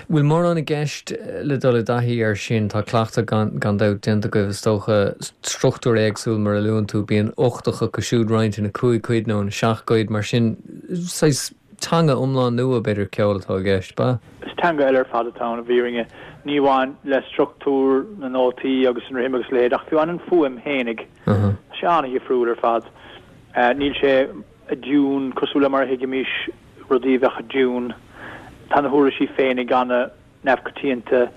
Bhfuil mórán i gceist le dul i dtaithí air sin? Tá cleachtadh gan dabht déanta agaibh is dócha. Struchtúr éagsúil mar a luann tú, bíonn ochtach acu siúd roinnte ina cúig cuid nó ina seacht gcuid, mar sin saghas teanga iomlán nua b'fhéidir ceoil atá i gceist, b'ea? Is teanga eile ar fad atá ann i bhfírinne, ní amháin le struchtúr na nótaí agus an rithim agus a leithéid ach fiú amháin an fuaim fhéinig. Tá sé an-dhifriúil ar fad. Níl sé. i dtiún, cosúil le mar a thuigimís rudaí a bheadh i dtiún. Tá na huirlisí féinig an-neamhchoitianta,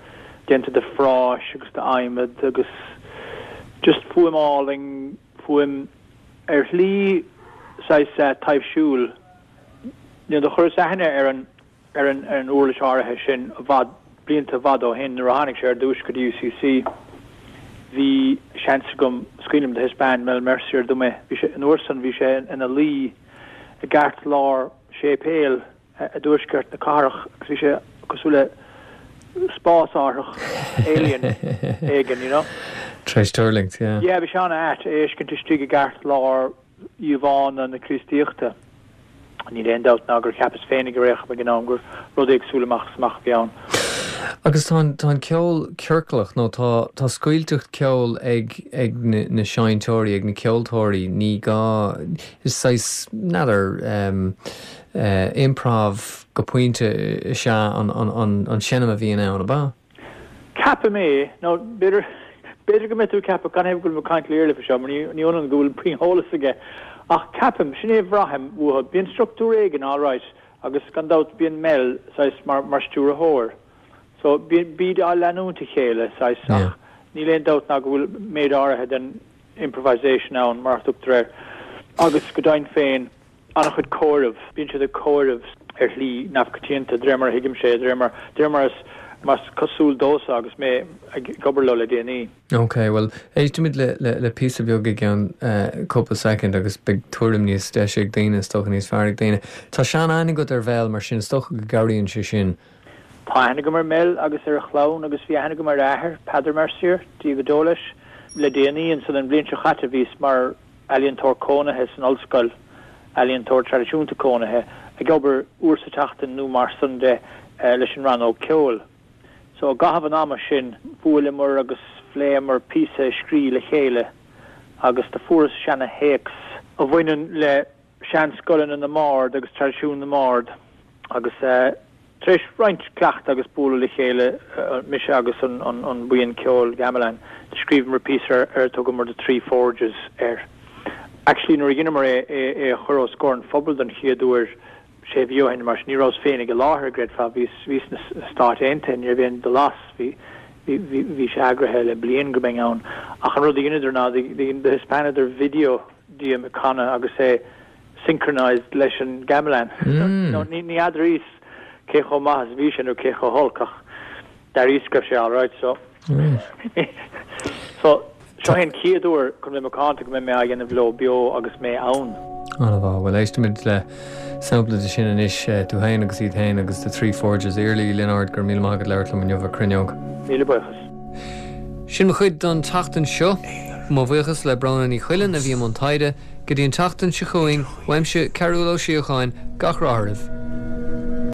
déanta de phráis agus d'adhmad agus just fuaim álainn, fuaim ar shlí saghas taibhsiúil. You know, do chuireas aithne ar an. ar an ar an uirlis áirithe sin i bhfad, blianta i bhfad ó shin nuair a tháinig sé ar dtúis go dtí UCC. Bhí seans agam, is cuimhin liom do thaispeáin Mel Mercier dom é, bhí sé, an uair san bhí sé ina luí i gceartlár séipéil i dtuaisceart na cathrach agus bhí sé cosúil le. spásárthach alien éigin, you know. Tar éis tuirlingt, yeah. Yeah, bhí sé an-ait é a fheiscint istigh i gceartlár íomhánna na Críostaíochta. Níl aon dabht ná gur cheapas féinig ar aon chuma ag an am gur rud éagsúil amach is amach a bhí ann. Agus tá an, tá an ceol ciorclach nó tá, tá scaoilteacht ceoil ag, ag na, na seinnteoirí, ag na ceoltóirí, ní gá, is saghas, n'fheadar, em, eh, improv go pointe is ea an, an, an, an seinm a bhíonn ann, ab ea? Ceapaim é, nó b'fhéidir, b'fhéidir go mbeidh tú ag ceapadh canathaobh go bhfuil mé ag caint le Iarla faoi seo, mar ní, ní ionann go bhfuil puinn eolas aige. Ach ceapaim, sin é a bhraithim uathu, bíonn struchtúr éigin alright agus gan dabht bíonn Mel saghas mar, mar stiúrthóir. So bíonn, bíd á leanúint a chéile saghas ach níl aon dabht ná go bhfuil méid áirithe den improvisation ann, mar a thugtar air. Agus go deimhin féin, an-chuid comhaireamh. Bíonn siad ag comhaireamh ar shlí neamhchoitianta, de réir mar a thuigimse é, de réir mar, de réir mar is, mar is cosúil domhsa agus mé ag obair leo le déanaí. Ok, bhuel, éistfimid le, le, le píosa beag i gceann cúpla soicind agus beidh tuairim níos deise ag daoine, is dócha, níos fearr ag daoine. Tá sean-aithne agat ar Mhel, mar sin is dócha go gcabhraíonn sé sin. Tá aithne agam ar Mel agus ar a chlann agus bhí aithne agam ar a athair, Peadar Mercier, Dia go deo leis. Le déanaí, ansan an bhliain seo chaite, bhíos mar. ealaíontóir cónaithe san ollscoil, ealaíontóir traidisiúnta cónaithe, ag obair uair sa tseachtain nó mar san de leis an rannóg ceoil. So i gcaitheamh an ama sin bhuaileamar agus phléamar píosa a scrí le chéile agus do fuaireas seana théacs a bhaineann le seanscoileanna na mbard agus traidisiún na mbard agus tar éis roinnt cleachtaidh agus bualadh le chéile, mise agus an buíon ceoil Gamelan, do scríobhamar píosa ar ar thugamar The Three Forges air. Actually nuair a dheineamar é é a chur os comhair an phobail don chéad uair sé mhí ó shin mar sin, ní rabhas féinig i láthair, a gcreidfeá, bhíos bhíos sna Stáit Aontaithe, ní raibh aon dul as, bhí bhí bhí bhí sé eagraithe le bliain go mbeinn ann. Ach an rud a dheineadar ná do thaispeánadar video díom ag canadh agus é synchronized leis an gamelan. Nó ní fheadraíos cé chomh maith is a bhí sé nó cé chomh holc ach d'airíos go raibh sé alright so so seo é an chéad uair chun bheith macánta go mbeidh mé á dhéanamh leo beo agus mé ann. An-mhaith. Bhuel éistfimid le sampla de sin anois, tú féin agus iad féin agus The Three Forges. Iarla Uí Lionáird, go raibh míle maith agat labhairt liom inniu ar Cruinneog. Míle buíochas. Sin mo chuid don tseachtain seo. Mo bhuíochas le Bróna Ní Choileáin a bhí i mbun taighde. Go dtí an tseachtain seo chugainn, uaimse, Cearúll Ó Síocháin, gach rath oraibh.